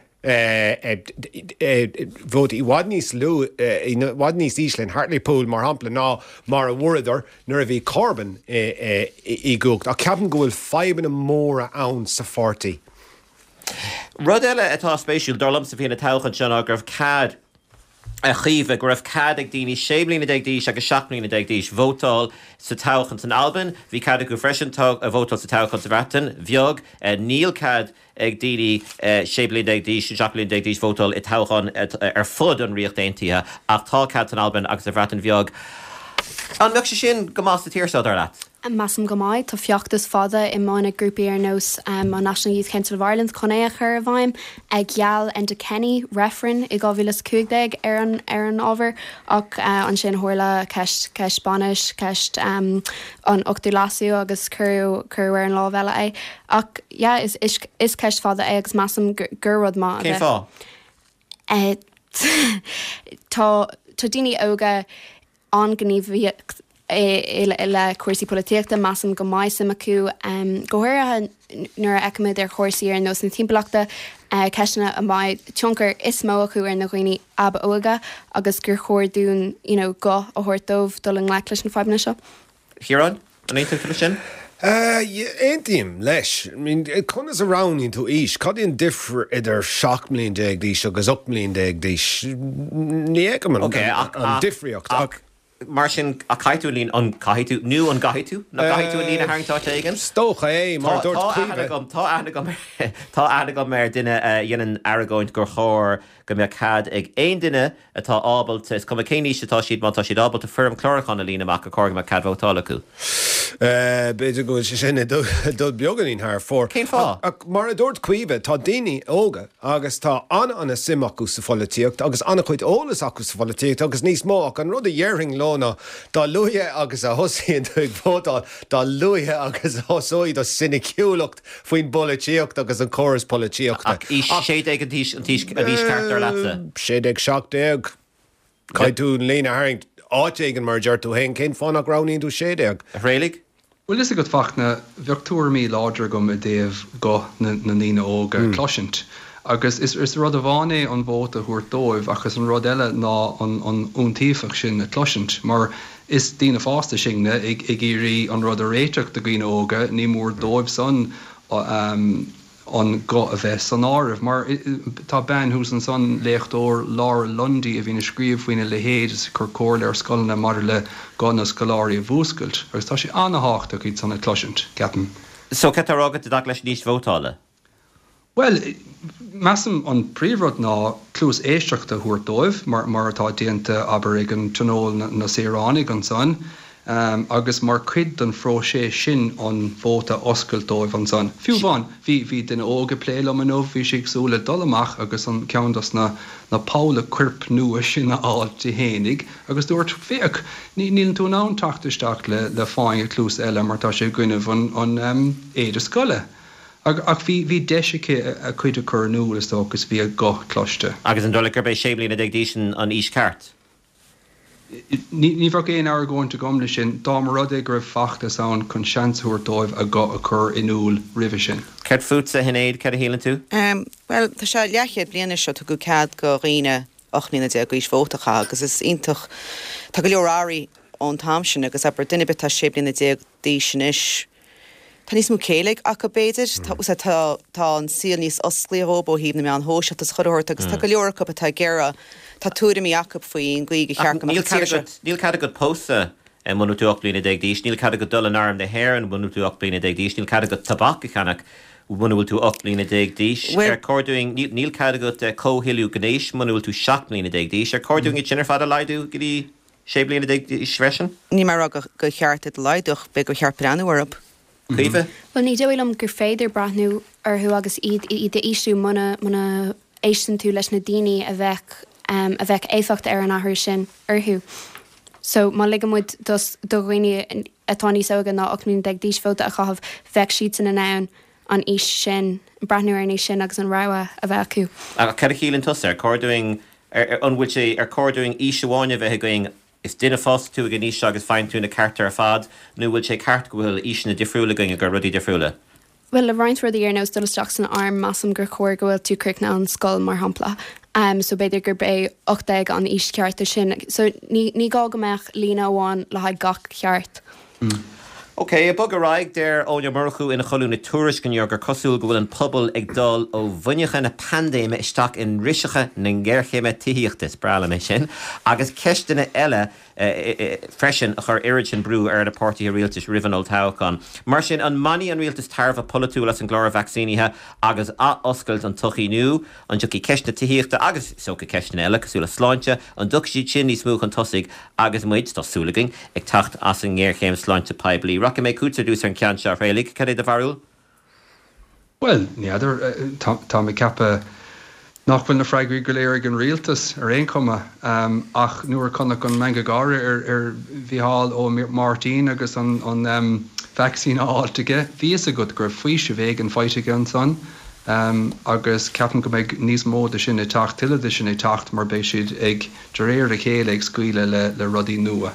vótaí i bhfad níos lú, i bhfad níos ísle in Hartlepool, mar shampla, ná mar a bhfuaireadar nuair a bhí Corbyn i gcumhacht. Ach ceapaim go bhfuil fadhbanna móra ann sa pháirtí. Rud eile atá spéisiúil, dar liomsa, faoi na toghcháin seo ná go raibh cead, a Chaoimhe, go raibh cead ag daoine sé mbliana déag d'aois agus seacht mbliana déag d'aois vótáil sa toghchán san Albain. Bhí cead acu freisin vótáil sa toghchán sa Bhreatain Bheag. Níl cead ag daoine sé bliana déag d'aois nó seacht mbliana déag d'aois vótáil i dtoghcháin ar fud an Ríocht Aontaithe ach tá cead san Albain agus sa Bhreatain Bheag. An mbeadh sé sin go maith sa tír seo, dar leat? Measaim go mbeidh. Tá feachtas fada i mbun ag grúpaí ar nós an National Youth Council of Ireland chun é a chur i bhfeidhm. Gheall Enda Kenny reifreann i dhá mhíle is a cúig déag ar an ar an ábhar ach ansin tharla ceist ceist bainis, ceist an Ochtú Leasú agus cuireadh cuireadh ar an lámh eile é. Ach yeah is is is ceist fada é agus measaim gur rud maith a Cén bheadh. fáth? Tá tá daoine óga an-ghníomhaíocht le cúrsaí polaitíochta measaim go mbeidh suim acu go háirithe nuair a fheicimid ar chúrsaí ar nós na timpeallachta ceisteanna a mbeidh tionchar is mó acu ar na dhaoine ab óige agus gur chóir dúinn you know, guth a thabhairt dóibh dul i ngleic leis na fadhbanna seo. Ciarán, an aontaíonn tú leis sin? Aontaím leis. I mean, conas a roghnaíonn tú aois? Cad é an difear idir seacht mbliain déag d'aois agus ocht mbliain déag d'aois? Ní fheicim an an difríocht ach. Mar sin, ach caithfidh tú an líne, an caithfidh tú, nó an gcaithfidh tú, nó caithfidh tú an líne a tharraingt áit éigin? Is dócha é, mar a dúirt Tá aithne Caoimhe. agam, tá aithne agam, tá aithne agam ar duine a dhéanann argóint gur chóir go mbeadh cead ag aon duine atá ábalta, is cuma cén aois atá siad, má tá siad ábalta foirm chlárúcháin a líonadh amach, gur chóir go mbeadh cead vótála acu. B'fhéidir go bhfuil sé sin ag dul beagáinín thar fóir. Cén fáth? Ach mar a dúirt Caoimhe, tá daoine óga agus tá an-an-suim acu sa pholaitíocht agus an-chuid eolas acu sa pholaitíocht agus níos mó ach an rud a dhéarfainn leo ná dá luaithe agus a thosaíonn tú ag vótáil, dá luaithe agus a thosóidh do soiniciúlacht faoin bpolaitíocht agus an córas polaitíochta. Ach aois sé déag an t-aois an t-aois an aois ceart dar leatsa? Sé déag, seacht déag. Caithfidh tú an líne a tharraingt áit éigin mar a deir tú féin, cén fáth nach roghnaíonn tú sé déag? A Thraolaigh? Bhuel fhios agat a Fachtna, bheadh tuairimí láidre agam i dtaobh guth na ndaoine óga a chloisint. Agus is is rud amháin é an vóta a thabhairt dóibh ach is an rud eile ná an an iontaofacht sin a chloisint mar is daoine fásta sinne ag ag iarraidh an rud a réiteach do dhaoine óga, ní mór dóibh san an guth a bheith san áireamh. Mar tá bean thuas ansan, léachtóir Laura Lundy, a bhíonn ag scríobh faoina leithéid is ag cur comhairle ar scoileanna maidir le guth na scoláirí a mhúscailt agus tá sé an-thábhachtach iad san a chloisint, ceapaim. So cad tá á rá agat i dtaca leis an aois vótála? Bhuel, measaim an príomhrud ná cluas éisteachta a thabhairt dóibh, mar mar atá déanta, abair, ag an Tionól na Saoránaigh ansan, agus mar chuid den phróiseas sin an vóta a oscailt dóibh ansan. Fiú amháin, bhí bhí duine óg ag plé liom inniu, bhí sí ag súil le dul amach agus an ceann dos na na polla coirp nua sin a fháil di fhéinig agus dúirt, féach, ní níl tú in ann teacht isteach le le fáinne cluas eile mar tá sé i gcoinnibh an an éide scoile. Ach bhí bhí deis aici a cuid a chur in iúl, is dócha, agus bhí a guth cloiste. Agus an dóigh leat gurb é sé bliana déag d'aois an aois ceart? Ní ní bheadh aon argóint agam leis sin, dá mba rud é go raibh feachtas ann chun seans a thabhairt dóibh a guth a chur in iúl roimhe sin. Céard fútsa, a Shinéad, céard a shíleann tú? Bhuel, tá sé leathchéad bliain anois ó tugadh cead do dhaoine ocht mbliana déag d'aois vóta a chaitheamh agus is iontach, tá go leor athraithe ón t-am sin agus abair duine ar bith atá sé bliana déag d'aois anois, tá níos mó céille acu b'fhéidir, tá tá tá an saol níos osclaí dhóibh ó thaobh na meáin shóisialta is chuile shórt agus tá go leor acu atá ag iarraidh, tá tuairimí acu faoin gcaoi gur cheart go mbeadh an tír seo. Níl cead agat pósadh muna bhfuil tú ocht mbliana déag d'aois, níl cead agat dul in Arm na hÉireann muna bhfuil tú ocht mbliana déag d'aois, níl cead agat tobac a cheannach muna bhfuil tú ocht mbliana déag d'aois. Ar chóir dúinn, níl cead agat comhthoiliú gnéis muna bhfuil tú seacht mbliana déag d'aois, ar chóir dúinn iad sin ar fad a laghdú go dtí sé bliana déag d'aois freisin? Níl mé ag rá gur cheart iad a laghdú ach b'fhéidir gur cheart breathnú orthu. Caoimhe? Bhuel, ní dóigh liom gur féidir breathnú orthu agus iad iad a ísliú muna muna éisteann tú leis na daoine a bheadh a bheadh éifeacht ar an athrú sin orthu. So má ligeann muid dos do dhaoine atá níos óige ná ocht mbliana déag d'aois vóta a chaitheamh, bheadh siadsan in ann an aois sin, breathnú ar an aois sin agus an rogha a bheith acu. Ach cad a shíleann tusa? Ar chóir dúinn, an bhfuil sé, ar chóir dúinn aois amháin a bheith againn Is duine fásta tú ag an aois seo agus faigheann tú na cearta ar fad, nó bhfuil sé ceart go bhfuil aoiseanna difriúla againn ag rudaí difriúla? Bhuel, le roinnt rudaí ar nós dul isteach san arm, measaim gur chóir go bhfuil tú críochnaithe an scoil, mar shampla. Um, so b'fhéidir gurb é ocht déag an aois cheart do sin. So ní, ní gá go mbeadh líne amháin le haghaidh gach ceart. Ok, ag bogadh ar aghaidh, deir Eoin Ó Murchú ina cholún i Tuairisc inniu gur cosúil go bhfuil an pobal ag dul ó bhuinneacha na paindéime isteach i ndriseacha na géarchéime tithíochta, is breá liom é sin, agus ceisteanna eile freisin a chuir oiread sin brú ar na páirtithe rialtais roimh an olltoghchán. Mar sin, an mbainfidh an rialtas tairbhe polaitiúil as an gclár vacsaínithe agus athoscailt an tsochaí nó an dtiocfaidh ceist na tithíochta agus, is dócha, ceisteanna eile cosúil le sláinte, an dtiocfaidh siad sin níos mó chun tosaigh agus muid, tá súil againn, ag teacht as an ngéarchéim sláinte poiblí? Rachaidh mé chugatsa ar dtús ar an gceann seo, a Thraolaigh. Cad é do bharúil? Bhuel, ní fheadar. Tá mé ag ceapadh nach bhfuil na freagraí go léir ag an rialtas ar aon chuma. Ach nuair a chonac an meangadh gáire ar ar Mhícheál Ó Máirtín agus an an vacsaín á fháilt aige, bhí fhios agat go raibh faoiseamh éigin faighte aige ansan. Agus ceapaim go mbeidh níos mó de sin ag teacht, tuilleadh de sin ag teacht mar beidh siad ag, de réir a chéile, ag scaoileadh le le rudaí nua.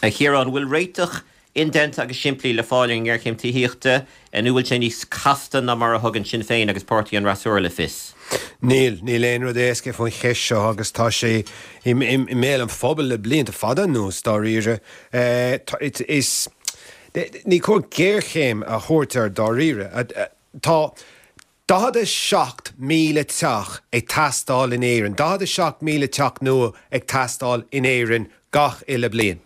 A Chiaráin, bhfuil réiteach indéanta agus simplí le fáil ar an ngéarchéim tithíochta, nó bhfuil sé níos casta ná mar a thugann Sinn Féin agus Páirtí an Fhreasúra le fios? Níl, níl aon rud éasca faoin cheist seo agus tá sé i mbéal an phobail le blianta fada anuas, dáiríre. Is, ní cóir géarchéim a thabhairt air dáiríre. Tá daichead a seacht míle teach ag teastáil in Éirinn, daichead a seacht míle teach nua ag teastáil in Éirinn gach uile bliain.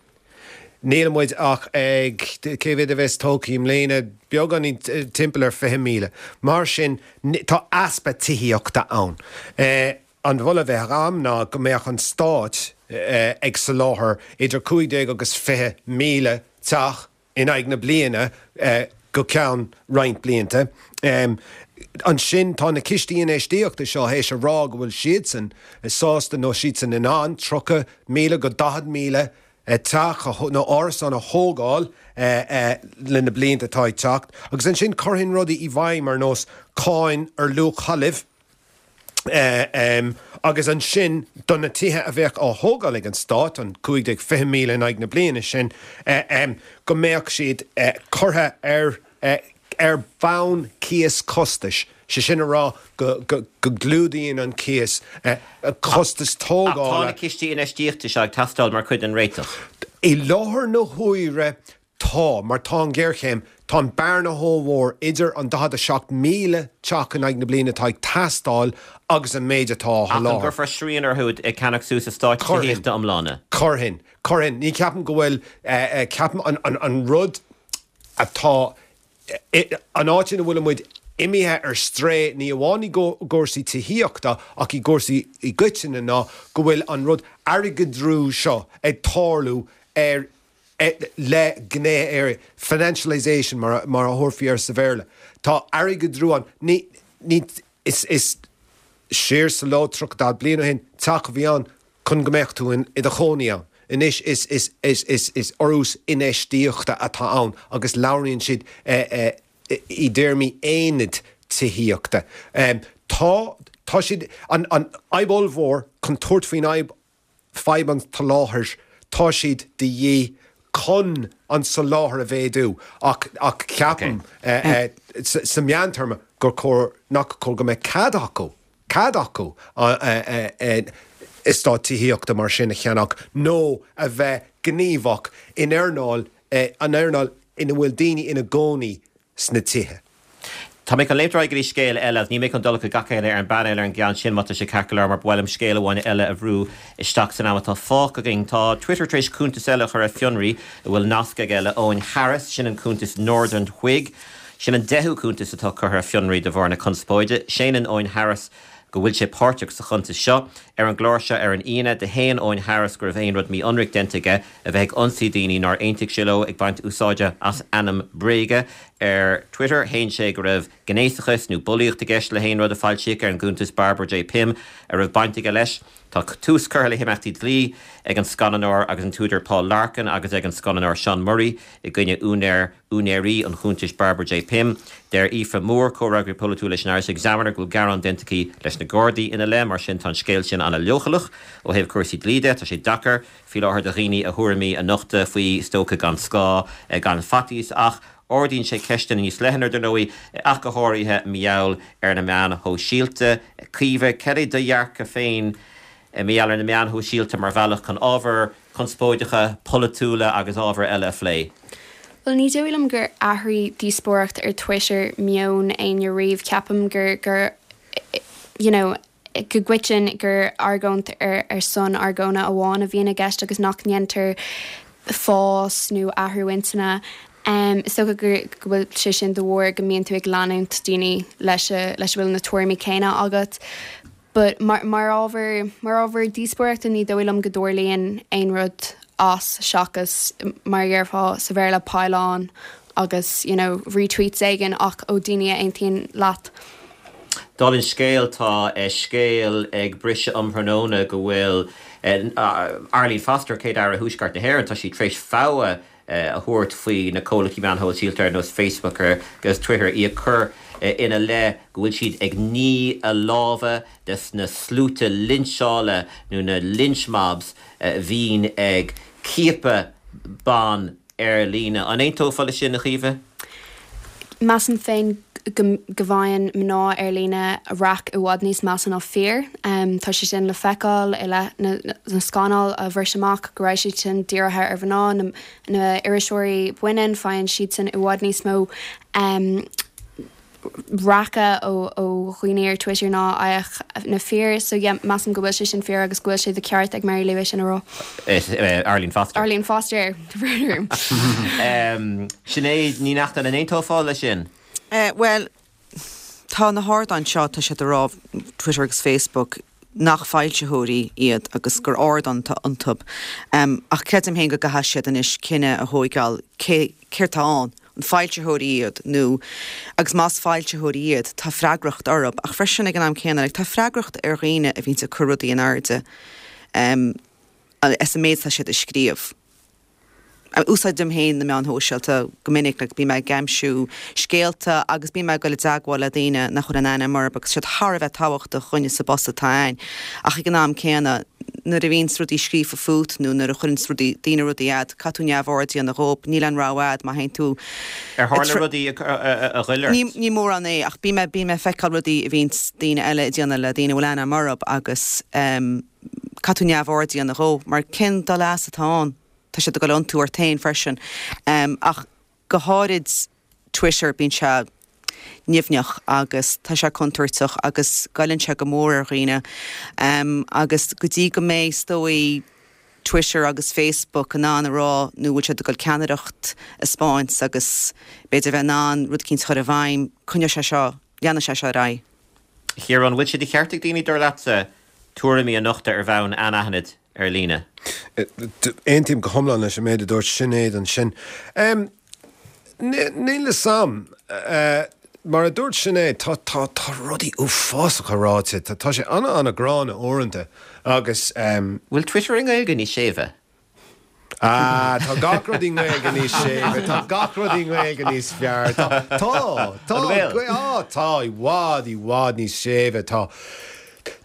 Níl muid ach ag, cé mhéad a bheas tógtha i mbliana, beagáinín timpeall ar fiche míle. Mar sin, tá easpa tithíochta ann. An moladh a bheadh agam ná go mbeadh an Stát ag soláthar idir cúig déag agus fiche míle teach in aghaidh na bliana go ceann roinnt blianta. Ansin tá na cistí infheistíochta seo théis a rá go bhfuil siadsan sásta nó siadsan in ann tríocha míle go daichead míle teach nó árasán a thógáil le na blianta atá ag teacht, agus ansin chuirfinn rudaí i bhfeidhm ar nós cáin ar luach talaimh, agus ansin do na tithe a bheadh á thógáil ag an stát, an cúig déag fiche míle in aghaidh na bliana sin, go mbeadh siad curtha ar ar bhonn cíos costais, sé sin a rá go gclúdaíonn an cíos costas tógála. Ach tá na cistí infheistíochta seo ag teastáil mar chuid den réiteach. I láthair na huaire tá, mar tá an ghéarchéim, tá an bearna ollmhór idir an daichead a seacht míle teach in aghaidh na bliana atá ag teastáil agus an méid atá á Ach an sholáthar. gcuirfear srian orthu ag ceannach suas eastáit Chuirfinn. tithíochta iomlána? Chuirfinn. Chuirfinn. Ní ceapaim go bhfuil, ceapaim an rud atá An áit ina bhfuil muid imithe ar strae, ní amháin i gcúrsaí tithíochta ach i gcúrsaí i gcoitinne ná go bhfuil an rud airgeadrú seo ag tarlú ar le gné ar financialisation mar a thabharfaí air sa Bhéarla. Tá airgeadrú ann. Ní, ní, is, is siar sa ló tríocha daichead bliain ó shin, teach a bhí ann chun go mbeadh tú i do chónaí ann. Anois is is is is is urrús infheistíochta atá ann agus labhraíonn siad i dtéarmaí aonad tithíochta. Tá tá siad an an fhadhb ollmhór chun tabhairt faoin fhadhb fadhb an tsoláthair tá siad de dhíth chun an soláthar a mhéadú ach ach ceapaim sa meántéarma gur chóir nach cóir go mbeadh cead acu cead acu eastát tithíochta mar sin a cheannach nó a bheith gníomhach in earnáil, an earnáil ina bhfuil daoine ina gcónaí sna tithe. Tá mé chun léimt ar aghaidh go dtí scéal eile agus níl mé chun dul chuig gach éinne ar an bpainéal ar an gceann sin má tá sé ceart go leor mar ba mhaith liom scéal amháin eile a bhrú isteach san am atá fágtha againn. Tá Twitter tar éis cuntas eile a chur ar fionraí a bhfuil nasc aige le Eoghan Harris, sin an cuntas Northern Whig. Sin an deichiú cuntas atá curtha ar fionraí de bharr na conspóide. Séanann Eoghan Harris go bhfuil sé páirteach sa chuntas seo. Ar an gclár seo ar an Aoine, do shéan Eoghan Harris go raibh aon rud mí-ionraic déanta aige, a bheith ag ionsaí daoine nár aontaigh sé leo, ag baint úsáide as ainm bréige ar Twitter. Shéan sé go raibh gnéasachas nó bulaíocht i gceist le haon rud a foilsíodh ar an gcuntas Barbara J Pym a raibh baint aige leis. Tá tús curtha le himeachtaí dlí ag an scannánóir agus an t-údar Paul Larkin agus ag an scannánóir Sean Murray i gcoinne úinéir, úinéirí an chuntais Barbara J Pym. Deir Aoife Moore, comhfhreagraí polaitiúil leis an Irish Examiner, go bhfuil gearán déanta aici leis na Gardaí ina leith. Mar sin, tá an scéal sin an-leochaileach ó thaobh cúrsaí dlí de. Tá sé deacair faoi láthair do dhaoine a thuairimí a nochtadh faoi, is dócha, gan scáth, gan faitíos. Ach ardaíonn sé ceisteanna níos leithne, dar ndóigh, ach go háirithe mar gheall ar na meáin shóisialta. Caoimhe, cad é do dhearcadh féin mar gheall ar na meáin shóisialta mar bhealach chun ábhair chonspóideacha, pholaitiúla agus ábhair eile a phlé? Bhuel, ní dóigh liom gur athraigh díospóireacht ar Twitter meon éinne riamh. Ceapaim gur, gur, you know, go gcoiteann gur argóint ar ar son argóna amháin a bhíonn i gceist agus nach ndéantar fás nó athrú intinne. Is dócha go bhfuil sé sin de bharr go mbíonn tú ag leanúint daoine leis a leis a bhfuil na tuairimí céanna agat. But mar mar ábhar mar ábhar díospóireachta ní dóigh liom go dtarlaíonn aon rud as seachas mar a dhéarfá sa Bhéarla pile on agus you know retweets éigin ach ó daoine a aontaíonn leat. Dála an scéil, tá scéal ag briseadh um thráthnóna go bhfuil Arlene Foster, Céad-Aire Thuaisceart na hÉireann, tá sí tar éis fogha a thabhairt faoi na comhlachtaí meán shóisialta ar nós Facebook agus Twitter, í ag cur ina leith go bhfuil siad ag ní a lámha des na sluaite linseála nó na lynch mobs a bhíonn ag ciapadh ban ar líne. An aontófá leis sin, a Chaoimhe? Measaim féin go go bhfaigheann mná ar líne raic i bhfad níos measa ná fir. Tá sé sin le feiceáil i leith na na scannail a bhris amach go raibh siad sin dírithe ar mhná, na na iriseoirí baineann, faigheann siadsan i bhfad níos mó raice ó ó dhaoine ar Twitter ná a fhaigheadh na fir. So yeah, measaim go bhfuil sé sin fíor agus go bhfuil sé de cheart ag Mary Lou é sin a rá. Arlene Foster. Arlene Foster, the um, Sinéad Ní Neachtain an aontófá leis sin? Uh, well, tá na hardáin seo tá siad ag rá Twitter agus Facebook nach foilsitheoirí iad agus gur ardán atá iontu. Um, ach creidim féin go gcaithfidh siad anois cinneadh a thógáil cé céard atá ann, an foilsitheoirí iad nó agus más foilsitheoirí iad tá freagracht orthu ach freisin ag an am céanna like, tá freagracht ar dhaoine a bhíonn ag cur rudaí in airde um, as an méid tá siad ag scríobh. Úsáidim féin na meáin shóisialta go minic like, bím ag aimsiú scéalta agus bím ag dul i dteagmháil le daoine nach bhfuil an ainm orthu agus siad thar a bheith tábhachtach chuine sa bpost atá ann. Ach ag an am céanna nuair a bhíonn rudaí scríofa fút nó nuair a chuireann rudaí daoine rudaí agat, caithfidh tú neamhaird a dhéanamh dhóibh, níl an rogha agat má théann tú Ar tharla rudaí a ghoill ort? Ní ní mórán é ach bím bím ag feiceáil rudaí a bhíonn daoine eile ag déanamh le daoine a bhfuil ainm orthu agus um, caithfidh tú neamhaird a dhéanamh dhó, mar cén dá leas atá ann? Tá siad ag dul iontú ort féin freisin. Um, ach go háirid Twitter bíonn sé nimhneach agus tá sé contúirteach agus goilleann sé go mór ar dhaoine. Um, agus go dtí go mbeidh is dóigh Twitter agus Facebook in ann a rá nó bhfuil siad ag dul ceannaireacht a thaispeáint agus b'fhéidir bheith in ann rud eicínt a chur i bhfeidhm, coinneoidh sé seo, leanfaidh sé seo ar aghaidh. Ciarán, bhfuil sé de cheart ag daoine dar leatsa tuairimí a nochtadh ar bhonn anaithnid ar líne? Aontaím go hiomlán leis an méid a dúirt Sinéad ansin. Níl a fhios a'm. Mar a dúirt Sinéad, tá tá tá rudaí uafásacha ráite, tá tá sé ana ana gránna uaireanta agus. Bhfuil Twitter i nGaeilge níos séimhe? Ah, tá gach rud i nGaeilge níos séimhe, tá gach rud i nGaeilge níos fearr. Tá tá tá An bhfuil? á tá i bhfad i bhfad níos séimhe, tá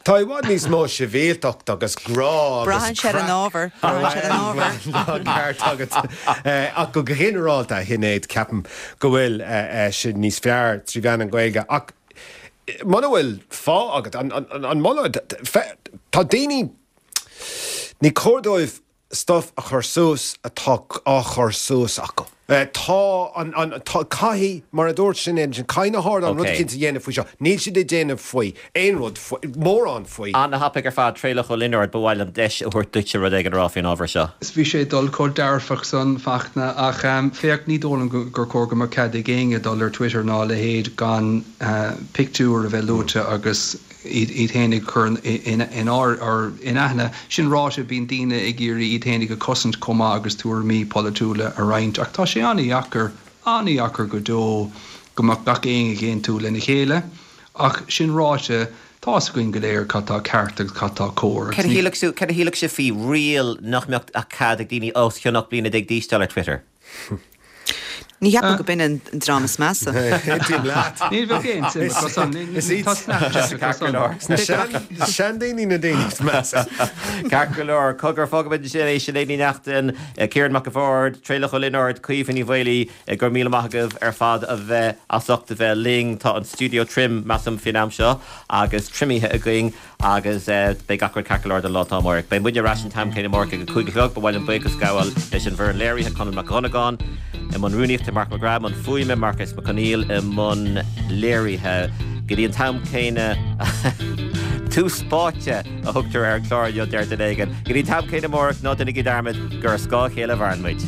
Tá i bhfad níos mó sibhialtacht agus grá agus Braitheann sé ar an ábhar, braitheann sé ar an ábhar. Tá ceart agat. Ach go ginearálta, a Shinéad, ceapaim go bhfuil sé níos fearr trí mheán an Ghaeilge. Ach muna bhfuil fáth agat, an moladh, tá daoine, ní cóir dóibh stuff a chur suas atá á chur suas acu. Tá an, an, tá, caithfidh, mar a dúirt Sinéad ansin, caithfidh na hardáin rud eicínt a dhéanamh faoi seo. Níl siad ag déanamh faoi, aon rud faoi, mórán faoi. An-thapaidh ar fad, Traolach Ó Lionáird, ba mhaith liom deis a thabhairt duitse rud éigin a rá faoin ábhar seo. Is bhí sé ag dul chomh dearfach san, Fachtna, ach féach, ní dóigh liom gur chóir go mbeadh cead ag éinne dul ar Twitter ná a leithéid gan pictiúr a bheith luaite agus iad féin ag cur in aithne. Sin ráite, bíonn daoine ag iarraidh iad féinig a chosaint chomh maith agus tuairimí polaitiúla a roinnt, ach tá sé an-dheacair, an-dheacair go deo go mbeadh gach éinne ag aontú lena chéile. Ach sin ráite, tá's againn go léir cad tá ceart agus cad tá cóir agus Cad a ní. shílfeadh cad a shílfeadh sibh faoi riail nach mbeadh ach cead ag daoine os cionn ocht bliana déag d'aois dul ar Twitter? Ní cheapaim go b'in an dream is measa. Aontaím leat. Ní bheadh aon suim acu san. Is Tá iad Snapchat acu Ceart go san. leor. na seandaoine na daoine is measa. Ceart go leor. Cogar, fágfaimid ansin é. Sinéad Ní Neachtain, Ciarán Mac a' Bhaird, Traolach Ó Lionáird, Caoimhe Ní Mhaolaí, go raibh míle maith agaibh ar fad a bheith as ucht a bheith linn. Tá an stiúideo tirim, measaim, faoin am seo agus triomaithe againn. Agus beidh gach rud ceart go leor don lá atá amárach. Beidh muidne ar ais an t-am céanna amárach ag a cúig a chlog. Ba mhaith liom buíochas a ghabháil leis an bhfoireann léirithe, Conall Mac Dhonnagáin i mbun rúnaíochta, Mark McGrath i mbun fuaime, Marcus Mac Conghail i mbun léirithe. Go dtí an t-am céanna Tús Báite a thugtar ar an chlár inniu, deir duine éigin. Go dtí an t-am céanna amárach, ná déanaigí dearmad gur ar scáth a chéile a mhaireann muid.